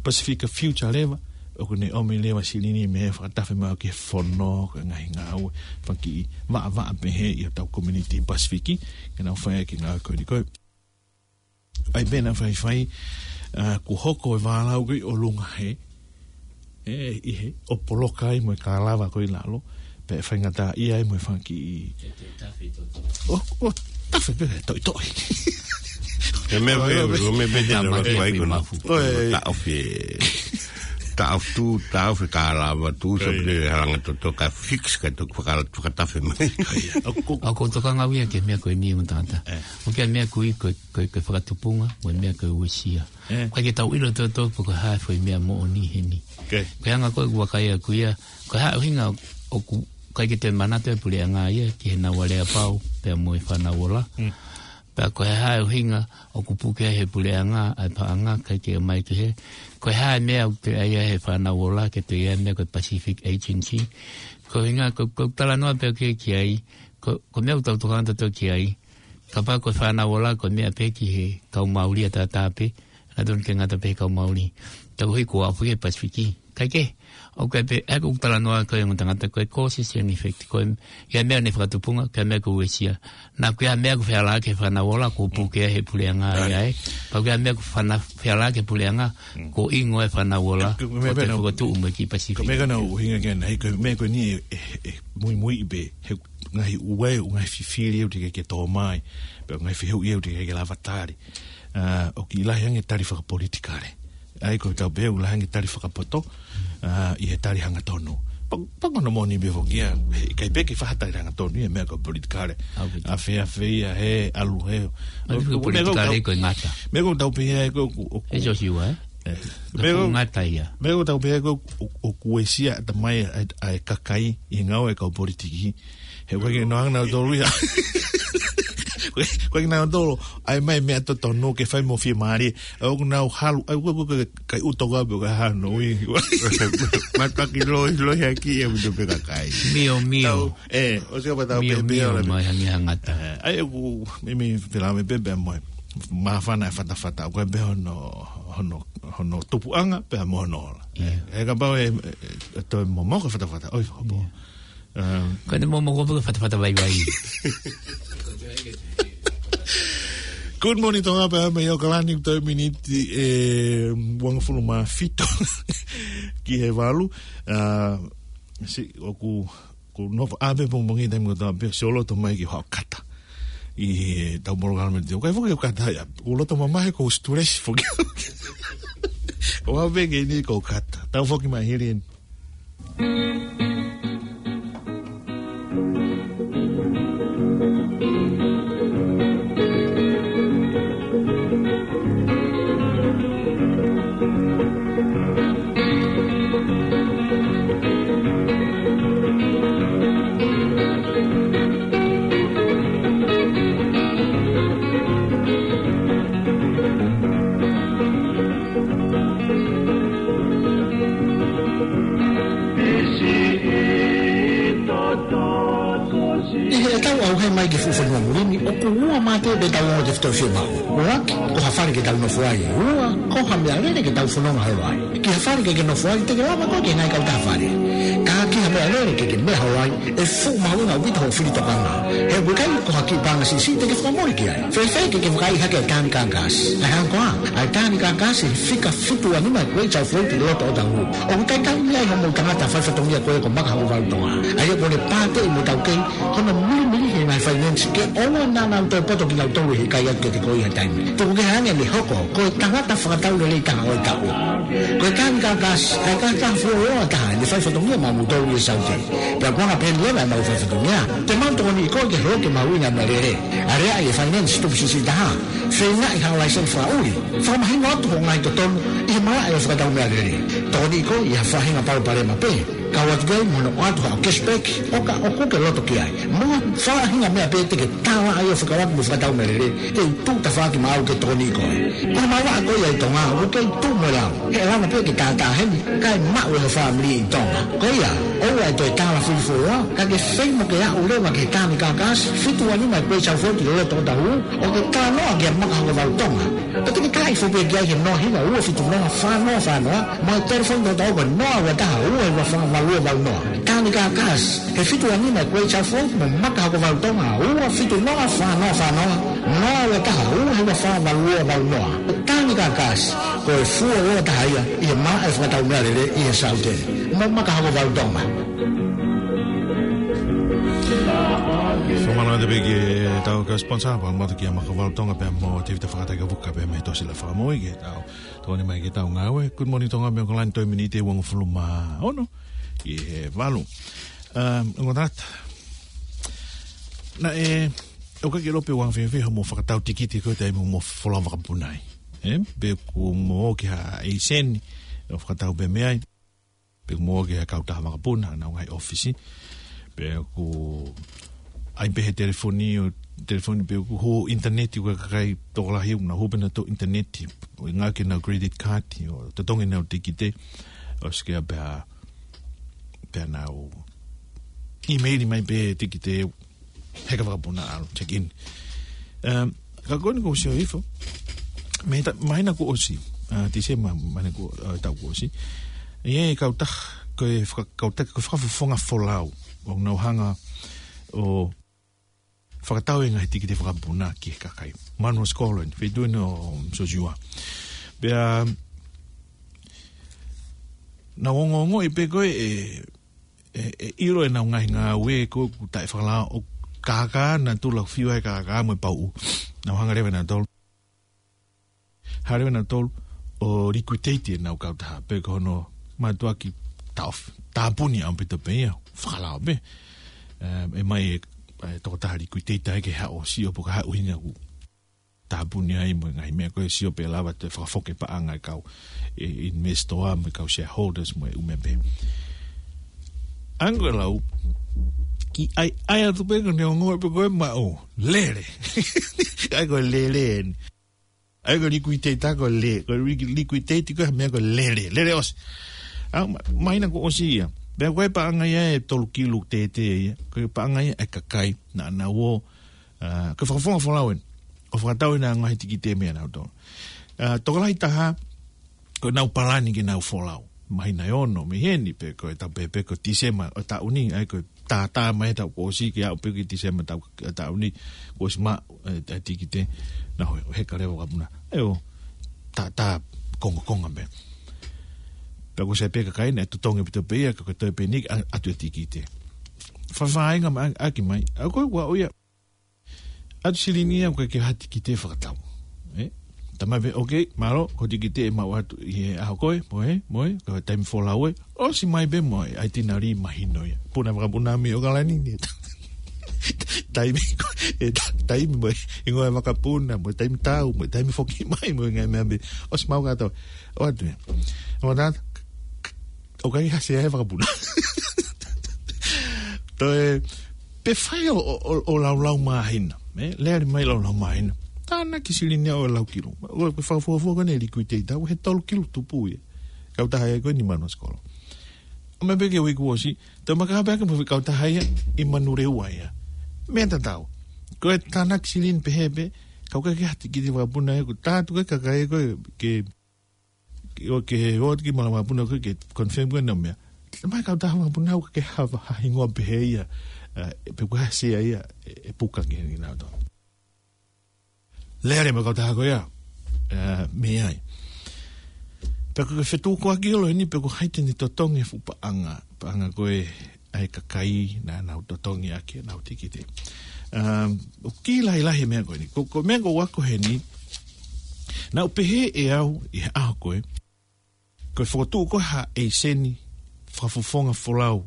Pasifika Future leva, ʻoku ne ʻomi leva silini mei he fakatafe mai ki he fono, ko e ngaahi ngāue, fanga kiʻi vaʻavaʻa pehē ʻi hotau community Pasifiki, ke nau fai ʻaki e ngāue ko eni ko ē. ʻAi pē naʻa faifai, ʻa, kuo hoko e vālau ko ē ʻo Lunga Hē, ʻe, ʻi hē, ʻo poloka ai mo e kālava ko ē ʻi lalo, pea ʻe faingataʻaʻia ai mo e fanga kiʻi. ʻO, ʻo, tafe pē, toʻitoʻi. He meʻa pē, ʻo, meʻa pē te na makia fai ko ē. Mafu. ʻOe. Taʻofi, taʻofi, taʻofi kālava, tuʻusi pē halanga toto, kae fix, kae toki fakala-, fakatafe mai. ʻOku, ʻoku tokanga au ia ki he meʻa ko eni ʻo tangata. ʻE. ʻOku ʻi ai e meʻa ko ē ko, ko, ko e fakatupunga, mo e meʻa ko e uesia. ʻE. ʻIkai ke tau ʻilo toto pe ko e hā e foʻi meʻa moʻoni heni. Ko e anga ko ē ʻoku vakai ʻaku ia, ko e hā e ʻuhinga ʻoku ʻikai ke toe manatu e puleʻanga ia ki heʻenau aleapau, pea mo e fānau ola. Mm. Pea ko e hā e ʻuhinga ʻoku puke ai he puleʻanga ʻa e paʻanga, ʻikai ke ʻomai ki hē. Ko e hā e meʻa ʻoku toe ʻai ai he fānau ola, ke toe ʻai e meʻa ko e Pacific Agency. Ko e ʻuhinga, ko, ko e talanoa pē ki, ki ai, ko, ko e meʻa ʻoku tau tokanga tautolu ki ai. Kapau ko e fānau ola, ko e meʻa pē ki he kau Māori ʻataʻatā pē, naʻa tonu ke ngata pē he kau Māori. Tau hui ko apu he Pasifiki. ʻIkai ke, ʻoku ʻi ai pē, ʻa ia ko e talanoa ko ē ʻo e tangata ko e causes and effect. Ko e, ʻi ai e meʻa ʻoku ne fakatupunga, ko e meʻa ko e uesia. Naʻa ko e meʻa ʻoku feala ki he fānau ola, ʻoku puke ai he puleʻanga ia ē. Pea ko e meʻa ʻoku fana-, feala ki he puleʻanga, ʻoku ingo e fānau ola, ko e meʻa ʻoku toe pē na fakatuʻu mo e kiʻi Pasifiki. Ko e meʻa ko ē naʻa ku ʻuhinga ki ai, ko e meʻa ko eni ʻe, ʻe, ʻe muimui pē, he ngaahi ue, ngaahi fifili ʻoku teʻeki ke tō mai, pe ngaahi fehuʻi ʻoku teʻeki ke lava tali. ʻA, ʻoku kiʻi lahi ange tali fakapolitikale. ʻA ia ko e tau pehē ʻoku lahi ange tali fakapoto, ʻa, ʻi he tali hangatonu. Pa-, pa ko hono moʻoni pē foki ia, he ʻikai pē ke fai ha tali hangatonu ia meʻa ko e politikale. ʻA, ʻoku ʻafeʻafeʻi ia he ʻalu he. ʻA, ko e politikale ko e ngata. Meʻa ko ʻetau pehē ko ʻoku, ʻoku. He Joshua, ē? ʻE. Ko e ngata ia. Meʻa ko ʻetau pehē ko ʻoku, ʻoku uesia ʻatamai ʻa e, ʻa e kakai ʻi he ngāue ʻa e kau politiki. He ʻoku ʻikai ke nau hanga nautolu ia. ʻOku ʻikai ke nau tolo, ʻai mai meʻa totonu ke fai mo fiemālie. ʻOku nau halu, ʻai ʻoku, ʻoku, ʻoku, kai uto ka pe ka hano ui. Mataki loi, loi haki ia mo e peka kai. Mio, mio. Tau, ʻe, ʻosi ka patau pē pē ola. Mio, mio, mai hangi hangata. ʻE, ʻai ʻoku, mimi felame pē pē mo e. Māfana e fatafata, ʻoku ʻi ai pē hono, hono, hono tupuʻanga, pea mo hono ola. Ia. ʻE, kapau ʻe, ʻe, ʻe toe momoko e fatafata, ʻoi, hopo. Ia. Um, Ko ʻene momoko pē ko e fatafata vaivai. Good morning, Tonga, pea mai ʻAokalani, toe miniti ʻe uangofulu mā fitu ki he valu. Uh, si, ʻoku, ʻoku nofo ʻave pongipongi taimi kotoa pē, sio loto mai ki hoʻo kata. ʻI heʻetau polokalama te, ʻoku ʻikai foki ʻo kata ia, ʻoku loto mamahi ʻoku stress foki. ʻOku ʻave ke ni ʻoku kata. Tau foki mai hili eni. ʻI heʻetau ʻauhē mai ki he fuʻu fonua muli ni, ʻoku ua mā te pē ʻetau ongo tefitoʻi fiemaʻu. ʻUluaki, ko ha fale ke tau nofo ai. Ua, ko ha meʻalele ke tau fononga holo ai. Ki ha fale ke ke nofo ai, te ke lava koe ke ngai kau taha fale. Ka ki ha meʻalele ke ke meʻa holo ai, ʻe fuʻu mahuʻinga ʻaupito hoʻo fili tokanga. He ʻoku ʻikai ko ha kiʻi paʻanga siʻisiʻi te ke fakamole ki ai. Fēfē ke ke vakaiʻi hake ʻa e tāni kākasi. ʻA e hangē ko ā, ʻa e tāni kākasi he fika fitu ua nima e kuei tau fōi ki loto ʻo tau. ʻOku ʻikai tau meʻa ʻi hoʻomou tangata fai fatongia ko ē ko Maka Hakuvalu Tonga. ʻA ia ko ʻene pāteʻi mo tau kei, hono milimili he ngaahi finance ke ʻoua naʻa nau toe poto ki lau Tolu ʻe ʻikai atu kiate koe ʻi ha taimi. Tuku kehe ange ʻene hoko ko e tangata fakataulelei taha ʻo e taʻu. Ko e Tani Kakasi, ko e tangata fuoloa taha ʻi he fai fatongia maʻamoutolu ʻi he Saute. Pea ko e anga pehē ni leva ʻemau fai fatongia. Te mau tokoniʻi koe ke hoko ke mahuʻinga mei he lele. Aleaʻi e finance tupu siʻisiʻi taha. Feingaʻi ha laiseni fakaʻuli. Fakamahino atu hoʻo ngaahi totonu ʻi he malaʻe ʻo e fakatau meʻalele. Tokoniʻi koe ʻi ha faʻahinga palopalema pē. Kau atu ki ai mo hono ʻoatu haʻo cashback, ʻo ka ʻoku ke loto ki ai. Mo e faʻahinga meʻa pē te ke tala ai ʻo fekauʻaki mo e fakatau meʻalele, te u tuʻu tafaʻaki maʻau ke tokoniʻi koe. Ko e malanga ko ia ʻi Tonga, ʻoku kei tuʻu mo e lau. He ʻe lava pē ke tātā heni, kae maʻu ʻe ho fāmili ʻi Tonga. Ko ia, ʻoua ʻe toe tala fili fuoloa, ka ke feinga ke aʻu leva ki he Tani Kakasi, fitu ua nima Great South Road ʻi loto Otahuhu, ʻo ke talanoa kia Maka Hokovalu Tonga. Pea te ke tala ifo pē ki ai he noa hiva ua fitu noa fā noa fā noa, mo e telefoni ʻo e taʻu ko e noa ua taha ua hiva fā valu ua valu noa. Tani Kakasi, he fitu ua nima Great South Road mo Maka Hokovalu Tonga, ua fitu noa fā noa fā noa, noa ua taha ua hiva fā valu ua valu noa. Tani Kakasi, ko e fuoloa taha ia ʻi he malaʻe fakatau meʻalele ʻi he Saute. Mo Maka Hokovalu Tonga. Fakamālō atu pē ki heʻetau kau sponsor, pea mo Maka Hokovalu Tonga pea mo Tēvita Fakataikavuka pea mei he Tōsila Fakamoʻui ki heʻetau tokoni mai ki heʻetau ngāue. Good morning Tonga mei ʻAokalani, toe miniti ʻe uangofulu mā ono ki he valu. Um, ongo tangata. Naʻe, ʻoku ʻikai ke ʻilo pe ʻoku anga fēfē hoʻomo fakatau tikite ko e taimi hoʻomo folau vakapuna ai. Ē, pe ʻoku mo ō ki ha ʻeiseni, ʻo fakatau pē meʻa ai. Pe ʻoku mo ō ki ha kautaha vakapuna, ʻenau ngaahi ʻōfisi. Pe ʻoku ʻai pē he telefoni ʻo, telefoni pe ʻoku hū ʻinitaneti ko e kakai tokolahi ʻoku nau hū pē nautolu ʻinitaneti. ʻO ngāueʻaki ʻenau credit card, ʻo totongi ʻenau tikite. ʻOsi ia pea, pea nau ʻīmeili mai pē tikite heka vakapuna ʻalu, check in. Um, ka ko eni ʻoku ou sio hifo. Mei he ta-, māhina kuo ʻosi, uh, Tīsema māhina kuo, uh, taʻu kuo ʻosi. ʻI ai e kautaha, ko e faka-, kautaha, ko e fakafofonga folau. ʻOku nau hanga ʻo fakatau e ngaahi tikite vakapuna ki he kakai. Manuʻa Scholar, feituʻu ʻeni ʻo Sosiua. Pea, nau ongoongoʻi pē ko e, e, e, e ʻilo ʻenau ngaahi ngāue ko ē ʻoku taʻefakalao ʻo kākā nautolu, fiu ai kākā mo e pauʻu. Nau hanga leva nautolu. Hanga leva nautolu ʻo liquidate ʻenau kautaha. Pe ko hono mātuʻaki taʻofi. Tāpuni ʻaupito pē ia. Fakalao pē. E, ʻe ʻomai e, e tokotaha liquidator ke haʻu ʻo sio pe ko e hā e ʻuhinga ʻoku tāpuni ai mo e ngaahi meʻa ko ē, sio pe lava ʻo toe fakafoki e paʻanga e kau, e, investor mo e kau shareholders mo e ʻū meʻa pehē. Ango e lau, ki ai, ʻai atu pē ko ʻene ongoʻi pē ko e maʻu lele. ʻAi ko e lele eni. ʻAi ko e liquidator ko e le-, ko e li-, liquidate ko e meʻa ko e lele. Lele ʻosi. ʻA, ma-, māhina kuo ʻosi ia. Pea ko e paʻanga ia ʻe tolu kilu tētē ia. Ko e paʻanga ia ʻa e kakai naʻa nau ō, ʻa, ko e fakafofonga folau eni. ʻO fakatau ʻenau ngaahi tikite meiate nautolu. ʻA, tokolahi taha, ko ʻenau palani ke nau folau. Māhina ʻe ono mei heni pe ko e taʻu pē, pe ko Tīsema ʻo e taʻu ni, ʻai ko e tātā mai he taʻu kuo ʻosi ke aʻu pē ki Tīsema taʻu, taʻu ni, kuo ʻosi maʻu, e, e tikite, nau heka leva vakapuna. ʻE ʻo, tātā kongokonga pē. Pea kuo ʻosi ʻai pē kakai naʻe totongi ʻaupito pē ia, ka ko e toe pē eni, ʻa, ʻatu e tikite. Fafāinga mai, ʻaki mai. ʻA ko e ua ʻo ia. ʻAtu silini ia ʻoku ʻikai ke ha tikite fakatau. Ē? Talamai pē, okay, mālō, ko e tikite ʻe maʻu atu ʻi he ʻaho ko ē, mo ē, mo ē, ko e taimi folau ē, ʻosi mai pē mo e ʻaitinali mahino ia. Puna vakapuna mei ʻAokalani ni. Taimi, e ta-, taimi mo e, hingoa e vakapuna, mo e taimi tau, mo e taimi foki mai, mo e ngaahi meʻa pē. ʻOsi maʻu kātoa. ʻOatu ia. ʻOatu ia. ʻOku ʻikai ha sea he vakapuna. Toe, pe fai ʻo, ʻo, ʻo, ʻo laulau māhina, ē? Lele mai laulau māhina. Tānaki silini ʻo e lau kilu. ʻO, ko e fakafuofua ko ʻene liquidate, ʻo he tolu kilu tupu ia. Kautaha ia ko eni Manuʻa Scholar. ʻO meʻa pē ki he uike kuo ʻosi, toe maka pē ake mo e kautaha ia ʻi Manurewa ia. Meʻa tatau. Ko e tānaki silini pehē pē, ka ʻoku ʻikai ke ha tikite vakapuna ia, ko e tātu ke kakai ko ē ke ʻo ke ʻoatu ki he malaʻe vakapuna ko ē ke confirm ko ē ʻenau meʻa. Mai kautaha vakapuna ʻoku ʻikai ke ha, ha hingoa pehē ia, ē, pe ko e hā e sea ia, ē, ʻe puka ki he ni nau tō. Lele mai kautaha ko ia, ē, mei ai. Pea ko e fetukuaki ʻo e lau ni pe ko hai te ne totongi e fuʻu paʻanga, paʻanga ko ē ʻa e kakai naʻa nau totongi ʻaki ʻenau tikite. Um, ʻoku kiʻi lahilahi e meʻa ko eni. Ko, ko e meʻa ko ē ʻoku ako heni, naʻá ku pehē ʻe au ʻi he ʻaho ko ē, ko e fokotuʻu ko ē ha ʻeiseni fakafofonga folau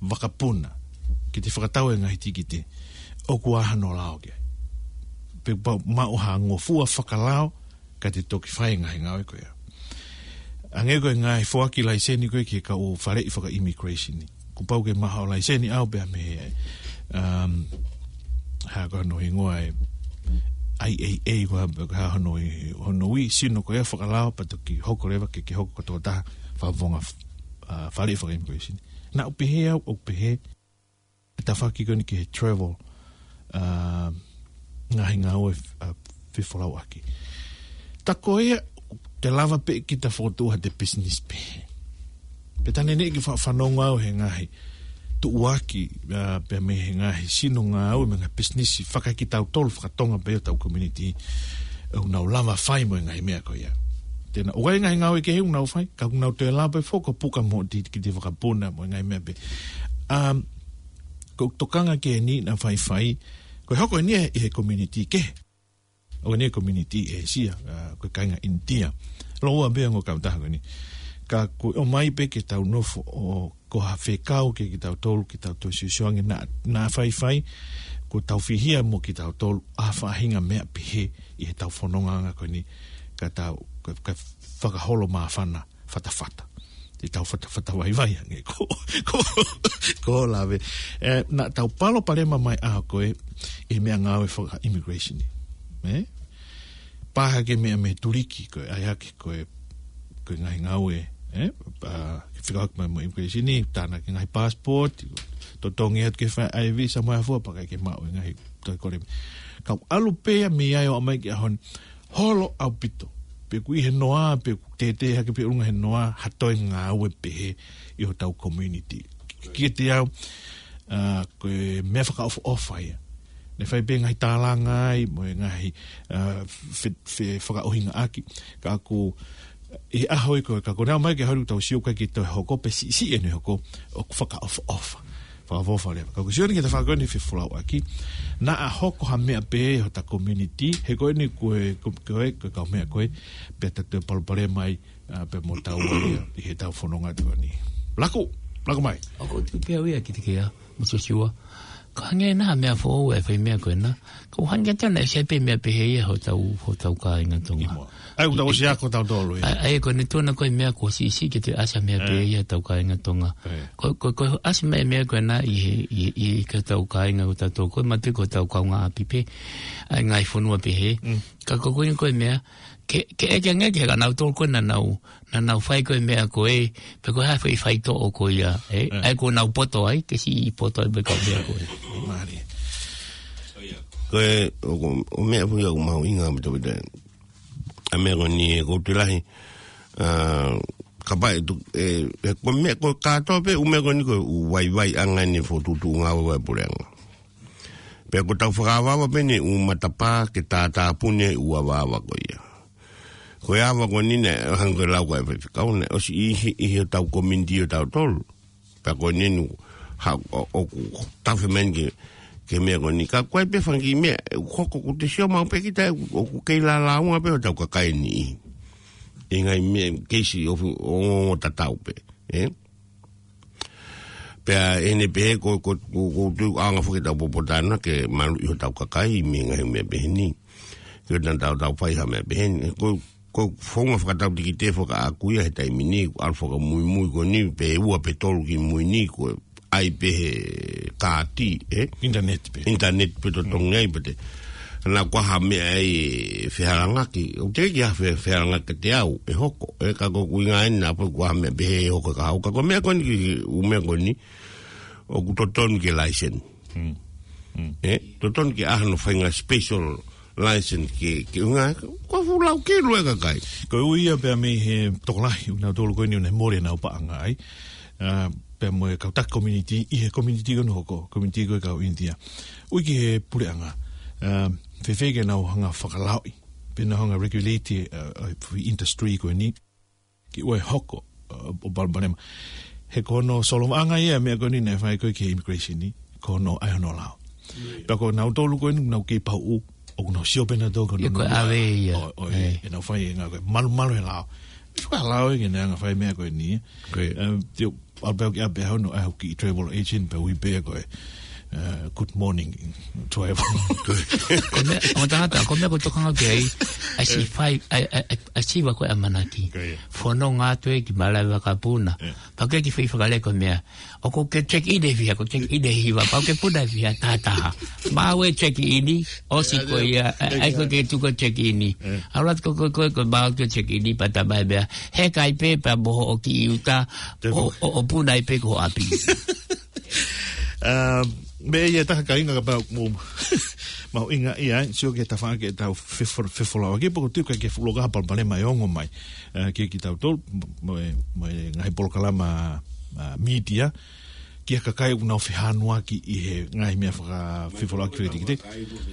vakapuna ke te fakatau e ngaahi tikite, ʻoku ʻi ai hano lao ki ai. Pe pau maʻu ha ngofua fakalao ka te toki fai e ngaahi ngāue ko ia. Hangē ko e ngaahi foaki laiseni ko ē ki he kau faleʻi faka-immigration ni. Kuo pau ke maʻu ha laiseni ʻaʻau pea mei he, um, hā ko hono hingoa e I A A ko ā, hā hono, hono ui, sino ko ia fakalao pea toki hoko leva ke, ke hoko ko e tokotaha fakafofonga, uh, faleʻi faka-immigration. Naʻá ku pehē au, ʻo pehē, e tafaʻaki ko eni ki he travel, uh, ngaahi ngāue, uh, fefolauʻaki. Tā ko ia, te lava pē kita fokotuʻu ha ʻete business pē. Pea tā neʻineʻi ke fa-, fanongo au he ngaahi tuʻuaki, uh, pea mei he ngaahi sino ngāue mo e ngaahi business faka-kitautolu faka-Tonga pē ʻi hotau community, ʻoku nau lava fai mo e ngaahi meʻa ko ia. Te nau ʻai e ngaahi ngāue kehe ʻoku nau fai, ka ʻoku nau toe lava pē foki ʻo puka mo e tikite vakapuna mo e ngaahi meʻa pē. Um, ko e tokanga ko eni naʻe faifai, ko e hoko eni ʻi he community kehe. ʻOku ʻi ai e community ʻĒsia, uh, ko e kāinga ʻInitia. Lōua pē ongo kautaha ko eni. Ka ko e ʻomai pē ke tau nofo ʻo ko ha fekau kiate kitautolu, ke tau toe siosio ange naʻa, naʻa faifai, ko ʻetau fihia mo kitautolu, ʻa e faʻahinga meʻa pehē ʻi heʻetau fonongaʻanga ko eni, ka tau, ka, ka fakaholo māfana, fatafata. Te tau fatafata vaivai ange ko, ko, ko lave. Eh, naʻa tau palopalema mai ʻaho ko ē, ʻi he meʻangāue faka-immigration ni. Eh? Pehē ki he meʻa mei Tuliki, ko e ʻai hake, ko e, ko e ngaahi ngāue, eh? Pea, ke fekauʻaki mai mo e immigration ni, tānaki e ngaahi passport, totongi atu ke fai e visa mo e hā fua, pea ʻikai ke maʻu e ngaahi toe kole. Kau ʻalu pē ia mei ai ʻo aʻu mai ki he ʻaho ni, holo ʻaupito. Pe ʻoku ʻi he noa, pe ʻoku tētē hake pe ʻolunga he noa, ha toe ngāue pehē ʻi hotau community. Kiate au, uh, ko e meʻa fakaʻofoʻofa ia. Naʻe fai pē ngaahi tālanga ai, mo e ngaahi, uh, fe-, fe-, fakaʻuhingaʻaki. Ka ʻoku, ʻi he ʻaho ia ko ē, ka ko e ʻomai ki he ʻaho ni ʻoku tau sio ʻikai ke toe hoko, pe siʻisiʻi ʻene hoko, ʻoku fakaʻofoʻofa. Fakaʻofoʻofa leva. Ka ʻoku ou sio ni ki he tafaʻaki ko eni fefolauʻaki, naʻa hoko ha meʻa pē ʻi hota community, he ko eni ko e, ko, ko e, ko e kau meʻa ko ē, pea ta toe palopalema ai, uh, pea mo tau ai, uh, ʻi heʻetau fononga atu ko eni. Laku, laku mai. ʻOku ou tui pē au ia kiate koe, Misiosiua. Ka hangē naʻa ha meʻa foʻou e fai meʻa ko ena. Ka ʻoku hangē atu naʻe ʻi ai pē meʻa pehē ia hotau, hotau kāinga Tonga. ʻIo. ʻAi, ʻoku tau ʻosi ako tautolu ia. ʻAi, ʻai, ko eni tuʻunga ko e meʻa kuo siʻisiʻi ke toe ʻasi ha meʻa pehē ia hotau kāinga Tonga. Ko, ko, ko e ʻasi mai e meʻa ko ena ʻi he, ʻi, ʻi, ʻi hotau kāinga ʻo tautolu, ko e mate ko hotau kaungāʻapi pē, ʻa e ngaahi fonua pehē. Ka ko e ko eni ko e meʻa, ke, ke ʻeke ange ki he kau nautolu ko ē naʻa nau, naʻa nau fai ko e meʻa ko ē, pe ko e hā e fai faitoʻo ko ia, eh? ʻAi ko ʻenau poto ai, ke siʻi poto ai pē kau meʻa ko ē. Mālie. Ko e, ʻo, ʻo meʻa foʻou ia ʻoku mahuʻinga mo tau pita. ʻA e meʻa ko eni ʻoku ou tui lahi, uh, kapau ʻe tu-, e, e, ko e meʻa ko e kātoa pē, ʻū meʻa ko eni ko e ʻū vaivaiʻanga ʻeni fokotuʻutuʻu ngāue ʻa e puleʻanga. Pea ko ʻetau fakaavaava pē ʻeni ʻū matapā ke tātāpuni ʻū avaava ko ia. Ko e ava ko eni naʻe hangē ko e lau ko ē ʻa e faifekau naʻe ʻosi ʻi he, ʻi hotau community ʻo tautolu. Pea ko eni ʻoku, ha, ʻo, ʻoku tafe mai ki he, ki he meʻa ko eni. Ka ko e pē fanga kiʻi meʻa, ʻoku hoko ʻoku te sio maʻu pē kita, ʻoku, ʻoku kei lālāunga pē hotau kakai ni. ʻI he ngaahi meʻa, keisi ʻo fu-, ʻo, ʻo tatau pē, eh? Pea ʻi heʻene pehē ko, ko, ko, ko e tuʻunga foki ʻetau popotāna ke maluʻi hotau kakai mei he ngaahi meʻa pehē ni. Ke ʻoua naʻa tau, tau fai ha meʻa pehē ni. Ko, ko e founga fakatau tikite fakaʻaku ia he taimi ni, ʻalu fakamuimui ko eni, pe ua pe tolu ki mui ni, ko e ʻai pē he kāti, eh? Internet pē. Internet pē totongi ai pē te. Naʻa ko ha meʻa ʻe fehalangaki, ʻoku teʻeki ke fe-, fehalangaki kiate au, ʻe hoko, eh? Ka ko e ʻuhinga ʻeni naʻa pē ko ha meʻa pehē ʻe hoko ka hau, ka ko e meʻa ko eni ki, ʻū meʻa ko eni, ʻoku totonu ke license. Mm. Mm. Eh? Totonu ke ʻai hano faʻahinga special license ke, ke ʻuhinga, ko e fuʻu lau ke lue kakai. Ko e ui ia pea mei he tokolahi, ʻo nautolu ko eni ʻoku nau mole ʻenau paʻanga ai. Uh, pea mo e kau taki community, ʻi he community ko eni ʻoku hoko, community ko e kau ʻInitia. Ui ki he puleʻanga, uh, fēfē ke nau hanga fakalaoʻi, pe nau hanga regulate, uh, uh, industry ko eni. Ke ʻoua ʻe hoko, uh, ʻo palopalema. He ko hono solovaʻanga ia meʻa ko eni naʻe fai ko ē ki he immigration ni, ko hono ʻai hono lao. Pea ko nautolu ko eni, nau kei paʻu, ʻoku nau sio pē nautolu ko e ʻave ia. ʻO, ʻo, ʻenau fai e ngāue ko e malumalu he lao. Fakalao e ke ne anga fai meʻa ko eni. Ko ia. Em, te u, ʻalu pē au ki ʻapi hono, ʻai hoku kiʻi travel agent pea ui pē ko e, eh, good morning, travel. Ko e meʻa, ʻo tangata, ko e meʻa ko e tokanga ki ai, ʻa e siʻi fai, ʻa e, ʻa e, ʻa e siva ko e ʻamanaki. Ko ia. Fononga atu ē ki malaʻe vakapuna. Pea ke ki fai fakalea ko e meʻa. ʻOku ke check in ʻe fiha, ko check in ʻe hiva, pea ke puna ʻe fiha, taha taha. Maʻu e check in, ʻosi ko ia, ʻa ia ko ke tuku check in. ʻAlu atu ko, ko, ko, ko maʻu ke check in, pea tā mai meʻa. He kai pē, pea moho ʻo ki uta, ʻo, ʻo, ʻo puna ai pē ko ʻapi. Um, meʻa ia taha kāinga kapau mo, mahuʻinga ia, sio ke tafa ke tau fefo-, fefolauʻaki, pea ko e tuʻu ke fuʻu loka palopalema ʻe ongo mai. Eh, ke ki tautolu, mo e, mo e ngaahi polokalama, ah, media, ki he kakai ʻoku nau fehanuaki ʻi he ngaahi meʻa fakafefolauʻaki fekete.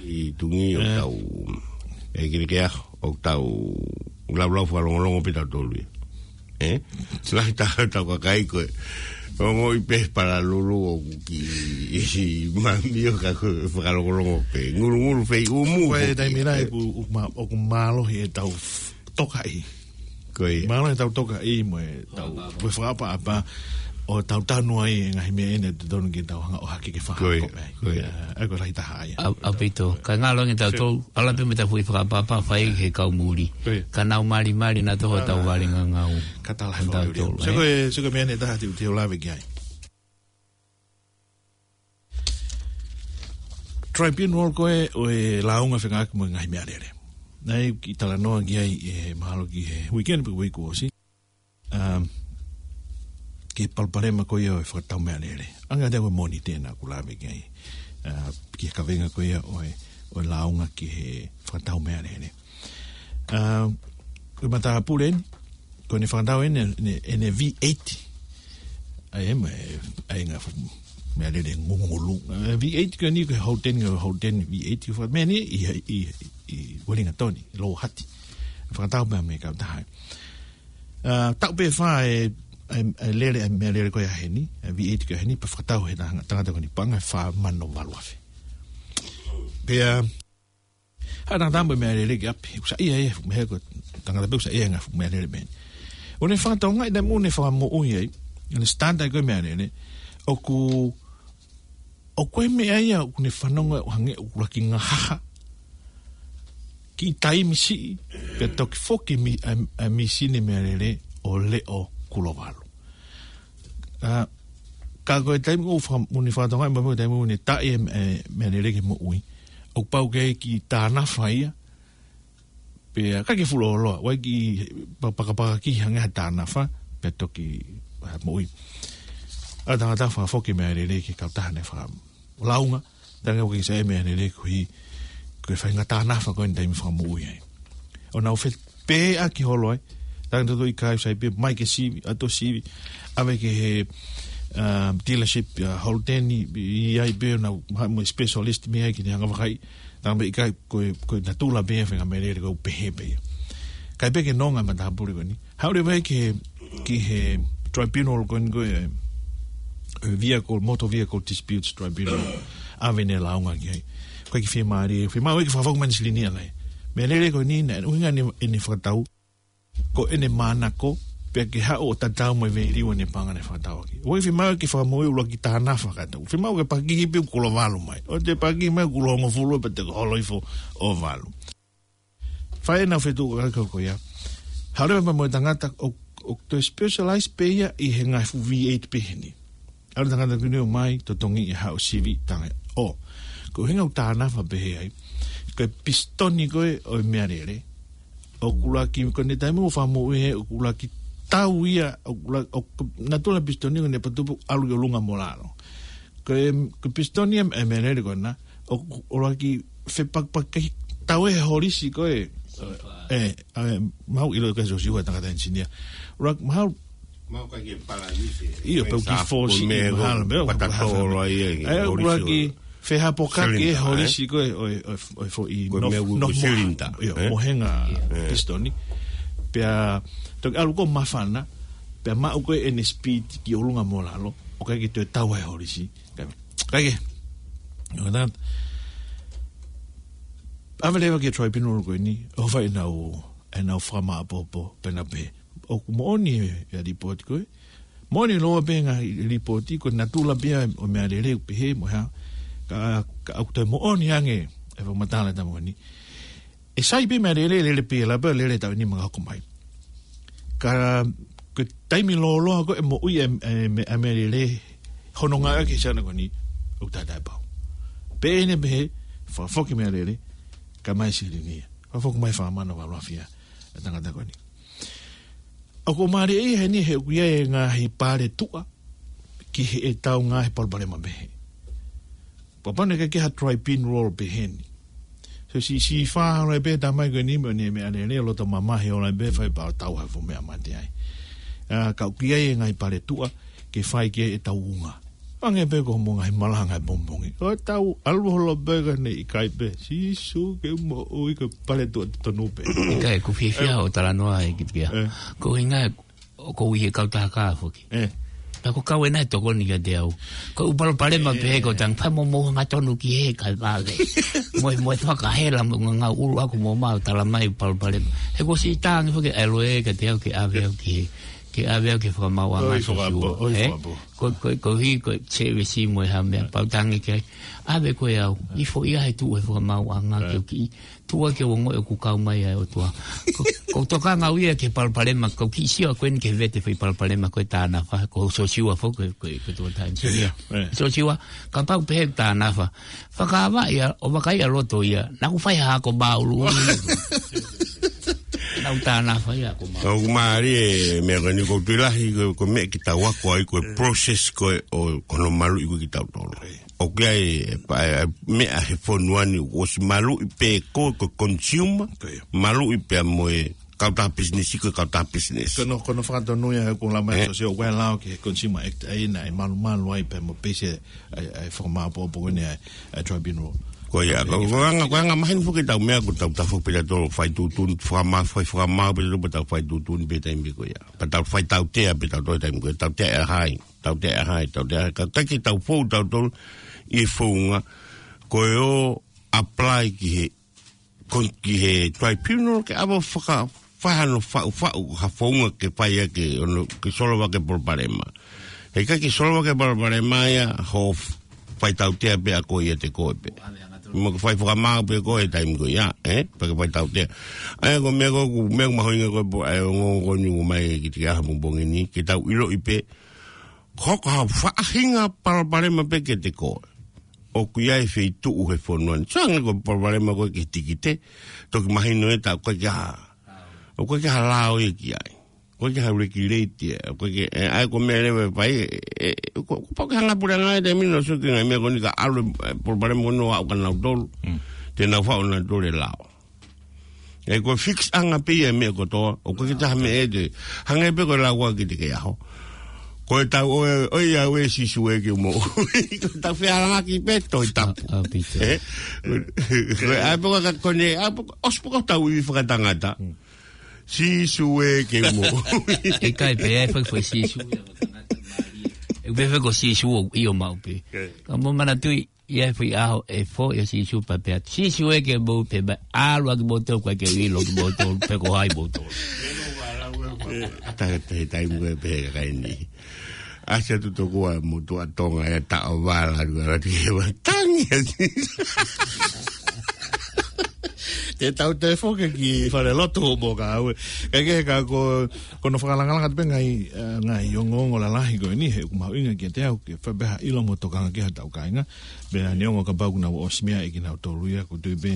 ʻI tungi ʻo tau, e kiri ke aho, ʻo tau laulau fakalongolongo pē tautolu ia. Eh? Lahi taha tau kakai ko e. Ongoʻi pē palalulu ʻoku ki, ʻi mami ʻo ka ko e fakalongolongo pē. Ngulungulu fei umu. Ko e taimi lahi ʻoku, ʻoku ma-, ʻoku mālohi ʻetau f-, tokaʻi. Ko ia. Mālō e tau tokaʻi mo e tau, mo e fakaʻapaʻapa ʻo tau tanu ai e ngaahi meʻa ʻeni ʻe totonu ke tau hanga ʻo hake ke fakahoko mai. Ko ia. Eh, ʻa ia ko e lahi taha ia. ʻA, ʻaupito. Ka ngalo nge tau tau, ʻalu pē mo e tau foʻi fakaʻapaʻapa fai he kau muli. Ko ia. Ka nau malimali nautolu ʻetau vale ngangau. Ka tala he fakaʻapaʻapa. Sio ko e, sio ko e meʻa ʻeni ʻe taha te u, te u lave ki ai. Tribunal ko ē ʻo e lāunga fekauʻaki mo e ngaahi meʻalele. Naʻe kiʻi talanoa ki ai ʻe mahalo ki he weekend pe uike kuo ʻosi. Um, ki he palopalema ko ia ʻo e fakatau meʻalele. Anga te ko e Mōnite naʻa ku lave ki ai. Uh, ki he kavenga ko ia ʻo e, ʻo e lāunga ki he fakatau meʻalele. Uh, ko e matāpule eni, ko ʻene fakatau ʻene, ʻene, ʻene V eight. ʻA ia mo e, ʻa ia ngaahi fu-, meʻalele ngungulu. Uh, V eight ko eni ko e Holden, ko e Holden V eight, ko e faka-, meʻa ni ʻi, ʻi, ʻi Wellington, ʻi Louaʻieti. Fakatau pē mei he kautaha. Uh, taʻu pē fā e, e, e lele, e meʻalele ko ia heni, e V eight ko ia heni, pea fakatau he tanga-, tangata ko eni paʻanga ʻe fā mano valu afe. Pea, Haʻu e tangata mo e meʻalele ki ʻapi, ʻoku saiʻia e, meʻa ko e tangata pē ʻoku saiʻia e ngaahi fuʻu meʻalele meʻa ni. ʻO ne fakatokangaʻi e taimi ʻoku ne fakamoʻui ai, ʻo ne start ai ko e meʻalele, ʻoku, ʻoku ʻi ai e meʻa ia ʻoku ne fanongo ʻo hangē ʻoku laki ngahaha. Kiʻi taimi siʻi, pea toki foki mi-, ʻa, ʻa e mīsini meʻalele ʻo leʻo kulo valu. ʻA, ka ko e taimi ʻoku faka-, ʻoku ne fakatokangaʻi mai mo e taimi ʻoku ne taʻi e, e meʻalele ke moʻui. ʻOku pau ke ʻi ai e kiʻi tānafa ia, pea ʻikai ke fuʻu lōloa, ʻoku ʻi ai e kiʻi pa-, pakapakakiʻi hangē ha tānafa, pea toki, ʻa, moʻui. ʻA e tangata fakafoki e meʻalele ki he kautaha naʻe fakalāunga, tangata ʻoku ʻikai ke saiʻia e meʻalele koeʻuhi, ko e faʻahinga tānafa ko eni taimi fakamoʻui ai. ʻO nau fe-, pē ʻaki holo ai. Tangata ʻoku ʻikai sai pē mai ke sivi, ʻalu ʻo sivi. ʻAve ki he, um, dealership, uh, Holden ʻi, ʻi ai pē ʻo nau, ha, mo e specialist mei ai ke ne hanga ʻo vakai. Tangata ʻikai ko e, ko e natula pē ia e faʻahinga meʻalele ko ē ʻoku pehē pē ia. ʻIkai pē ke nonga e matāpule ko eni. Haʻu leva ia ki he, ki he tribunal ko eni ko e, e vehicle, motor vehicle disputes tribunal. ʻAve ʻene lāunga ki ai. ʻOku ʻikai ke fiemālie, fiemaʻu ke fakafoki mai ʻene silini ʻa e meʻalele ko eni, naʻe ʻuhinga ʻene, ʻene fakatau ko ʻene manako, pea ke haʻu ʻo tatau mo e veiliu ʻene paʻanga naʻe fakatau ʻaki. ʻOku ʻikai fiemaʻu ke fakamoʻui ʻuluaki tānafa kātoa. Fiemaʻu ke pakihi pē kulo valu mai. ʻO te pakihi mai kulo hongofulu pea te holo hifo ʻo valu. Fai ʻenau fetuʻutaki ko ia. Haʻu leva mo e tangata ʻoku, ʻoku toe specialize pē ia ʻi he ngaahi fuʻu V eight pehē ni. ʻAlu e tangata ko eni ʻo mai, totongi e haʻu ʻo sivi tangata. ʻO, ko e ʻuhinga ʻoku tānafa pehē ai. Ko e pisitoni ko ē ʻo e meʻalele. ʻOku laki, ko ʻene taimi ʻoku fakamoʻui ai, ʻoku laki tau ia, ʻoku la-, ʻoku natula e pisitoni ko ʻene patupu ʻalu ki ʻolunga mo lalo. Ko e, ko e pisitoni e, e meʻalele ko ena, ʻo, ʻo laki fepakipaki tau e holisi ko ē. ʻE, ʻa e, maʻu ʻilo ka sosiua tangata engineer. ʻO laki maʻu, maʻu ka ke palanisi. ʻIo, pau ki fosi, mahalo, pea, patatolo ai e, ʻe, ʻo laki fehapokaki e holisi ko ē, ʻo e, ʻo e, ʻo e foʻi, ko e meʻa ʻoku ko e silinda, ʻio, mohenga pisitoni. Pea, toki ʻalu ko ē ʻo māfana, pea maʻu ko ē ʻene speed ki ʻolunga mo lalo, ʻoku ʻikai ke toe tau ai e holisi. Kae, kae ke, ʻO na, ʻave leva ki he tribunal ko eni, ʻo fai ʻenau, ʻenau fakamāʻopoʻopo, pea na pehē. ʻOku moʻoni e, e lipooti ko ē. Moʻoni lōua pē ngaahi lipooti ko e natula pē ia ʻo e meʻalele ʻoku pehē mo e hā. Ka, ka ʻoku toe moʻoni ange e fakamatala ʻa e tama ko eni. ʻE sai pē meʻalele, lele pē lava, lele taʻu ʻe nima ka hoko mai. Ka ko e taimi lōloa ko ē ʻe moʻui ai e, e, e meʻalele, hono ngāueʻaki he siana ko eni, ʻoku taʻetaʻepau. Pea ʻe ne pehē, fakafoki meʻalele, kae ʻomai silini ia. Fakafoki mai fanga mano, fakaʻaufia e tangata ko eni. ʻOku mālie ia heni he ʻoku ʻi ai e ngaahi pale tuʻa ki heʻetau ngaahi palopalema pehē. Pea pau naʻe ʻikai ke ha tribunal pehē ni. So si, si fa hala pē tamai ko eni mo ne meʻalele, loto mamahi hala pē, fai pea tau ha fuʻu meʻa mate ai. ʻA, ka ʻoku ʻi ai e ngaahi pale tuʻa ke fai ki ai ʻetau unga. Ange pē ko mo ngaahi malanga e pongipongi. ʻO tau ʻalu holo pē ka ne ʻikai pē. Sīsū ke moʻui, ko e pale tuʻa tonu pē. ʻIkai, ʻoku fiefia ʻo talanoa ai ki pia. Ko hinga ʻoku ʻi he kautaha foki. Ka ko e kau ena ʻe tokoni kiate au. Ko e ʻū palopalema pehē ko e tang, fai mo mo hanga tonu ki he kae vave. Mo e, mo e fakahela mo ngangau ʻulu aku mo mau tala mai palopalema. He ko si tangi foki ʻa e loea kiate au ke ʻave au ki he, ke ʻave au ki he fakamaauʻanga sosiua. Ko, ko, ko hi, ko e sevesi mo e hā meʻa pau tangi ke ai. ʻAve ko e au. ʻI fo ia he tuʻu he fakamaauʻanga ke u kiʻi. Tuʻa ke u ongoʻi ʻoku kau mai ʻa e ʻOtua. Ko, ko e tokanga au ia ki he palopalema, ko e kiʻi sio ko eni ki he vete fai palopalema ko e tānafa, ko sosiua foki, ko, ko, ko e tuʻa tānafa. Sosiua, kapau pehē tānafa. Fakaava ia, ʻo vakai ʻa loto ia, naʻa ku fai ha ako māʻulu. Naʻa ku tānafa ia ako māʻulu. ʻOku mālie e meʻa ko eni ko e tuʻi lahi, ko, ko e meʻa ke tau ako ai, ko e process ko ē ʻo, ko hono maluʻi ko ē kitautolu. ʻOku ʻi ai e, pa, e, meʻa he fonua ni ʻoku ʻosi maluʻi pē ko, ko e consumer, maluʻi pē mo e kautaha business, ko e kautaha business. Ko hono, ko hono fakatonu ia he ʻoku lamai sosiua ʻoku ʻi ai e lao ki he Consumer Act, ʻa ia naʻe malumalu ai pē mo e peisi ʻa e, ʻa e, ʻa e fakamāʻopoʻopo ko eni ʻa e, ʻa e tribunal. Ko ia, ko, ko e anga, ko e anga maheni foki ʻetau meʻa ko ʻetau tafoki pē tautolu fai tuʻutuʻuni, fakamā, fai fakamāʻopoʻopo pē tautolu pē tau fai tuʻutuʻuni pē taimi ko ia. Pea tau fai tautea pē tautolu taimi ko ia, tautea ʻe hai. Tautea ʻe hai, tautea ʻe hai. Ka, ka ʻikai ke tau fou tautolu ʻi he founga ko e ʻo apply ki he, kon-, ki he tribunal ke ʻave ʻo faka-, fai hano faʻufaʻu ha founga ke fai ʻaki hono, ke solova ʻaki e palopalema. He ʻikai ke solova ʻaki e palopalema ia hoʻo f-, fai tautea pē ʻa koe ʻiate koe pē. Mo ke fai fakamāʻopoʻopo pē koe he taimi ko ia, ē? Pea ke fai tautea. ʻA ia ko e meʻa ko ē, ko e meʻa mahuʻinga ko ē pē, ʻa e ongoongo ko eni ʻoku ʻomai kiate au he pongipongi ni, ke tau ʻiloʻi pē, ko e hā ha faʻahinga palopalema pē kiate koe. ʻOku ʻi ai e feituʻu he fonua ni. Sio ange ko e palopalema ko ē ki he tikite, toki mahino ʻe taha ʻoku ʻikai ke ha, ʻoku ʻikai ke ha lao ia ki ai. ʻOku ʻikai ke ha regulate ia. ʻOku ʻikai ke, ē, ʻa ia ko e meʻa leva ʻe fai, ē, ē, ko, ko e pau ke hanga ʻe he puleʻanga he taimi ni ʻo sio ki he ngaahi meʻa ko eni ka ʻalu e, e palopalema ko eni ʻo aʻu kia nautolu. Te nau faʻu nautolu e lao. ʻE ko e fix ʻanga pē ia e meʻa kotoa, ʻoku ʻikai ke toe ha meʻa ʻe te. Hangē pē ko e lau ko ē kiate koe he ʻaho. Ko e tau ʻoe, ʻoiauē Sīsū ē ke u moʻui. Ko e tau fealangaki pē Tohi Tapu. ʻA, ʻa, pito. Ē? Ko e ʻai pē ko e ka kone, ʻai pē ko e ʻosi pē ko e tau ivi fakatangata. Sīsū ē ke u moʻui. ʻIkai pē, ʻai pē ko e Sīsū ē fakatangata mālie. ʻE pehē ko Sīsū ʻoku ʻio maʻu pē. Ka mou manatuʻi, ʻi he foʻi ʻaho ʻe foʻi ʻa Sīsū pea pehē atu, Sīsū ē ke u moʻui pē, pea ʻalu ʻa kimoutolu ʻoku ʻikai ke u ʻilo kimoutolu, pe ko hai moutolu. Taha, taha, taimi ko ē pehē ʻe he kakai ni. ʻAsi atu tokua mo tuʻa Tonga ʻe taʻovala, atu atu ke ua tangi atu. Te tau toe foki ki falelotu mo ka au. Kae kehe ka ko, ko hono fakalangalanga pē ngaahi, eh, ngaahi ongoongo lalahi ko eni he ʻoku mahuʻinga kiate au ke fai pē ha ʻilo mo tokanga ki ai haʻatau kāinga. Pea neongo kapau ʻoku nau ʻosi meaʻi kinautolu ia ʻoku ou tui pē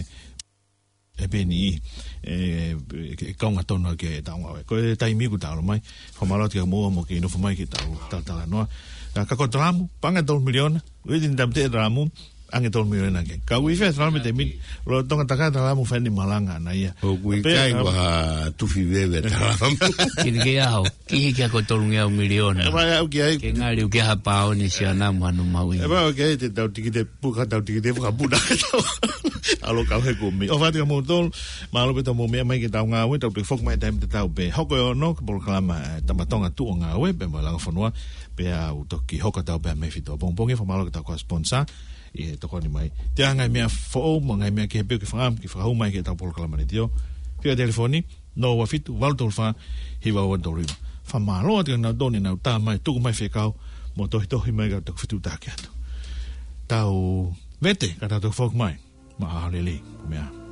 ʻe peni, ē, ʻe kaunga tonu ki heʻetau ngāue. Ko e taimi ʻoku tau ʻalu mai, fakamālō atu kia moua mo kei nofo mai ke tau, tau talanoa. Ka ko e talamu, pea ange tolu miliona, ʻoku ʻi ai e tini tamate talamu, ange tolu miliona ke. Ka ui fē talamu te min, lolotonga takai talamu fai ʻene malanga ʻana ia. ʻOku ʻikai, um, ko ha tufi veve talamu. Kini ke aho, kihi kia ko e tolungeau miliona. ʻE, ʻe, ʻoku ʻi ai. Ke ngali ʻoku ʻi ai ha paone siana mo hano maui. ʻE, ʻoku ʻi ai, te tau tikite, puka tau tikite, fakapuna. ʻAlu kau he kumi. ʻOfa atu kia moutolu, mālō pē hoʻomou meʻa mai ki heʻetau ngāue, tau toe foki mai taimi tatau pē. Hoko e ono, ki he polokalama, ē, Tama Tonga Tuʻu ʻo Ngāue, pea mo e Langa Fonua, pea ʻoku toki hoko atu pē ʻa Mefito. Pongipongi, fakamālō ki heʻetau kau sponsor, ʻi he tokoni mai. Te anga e meʻa foʻou mo e ngaahi meʻa kehe pē ʻoku ke fakaʻamu ke fakahū mai ki heʻetau polokalama letiō. Fika telefoni, noa ua fitu, valu tolu fā, hiva ua tolu hiva. Fakamālō atu kia nautolu ne nau tā mai, tuku mai fekau, mo tohitohi mai ka tau fetuʻutaki atu. Tau vete, ka tau toki foki mai. Maʻa lelei, meʻa.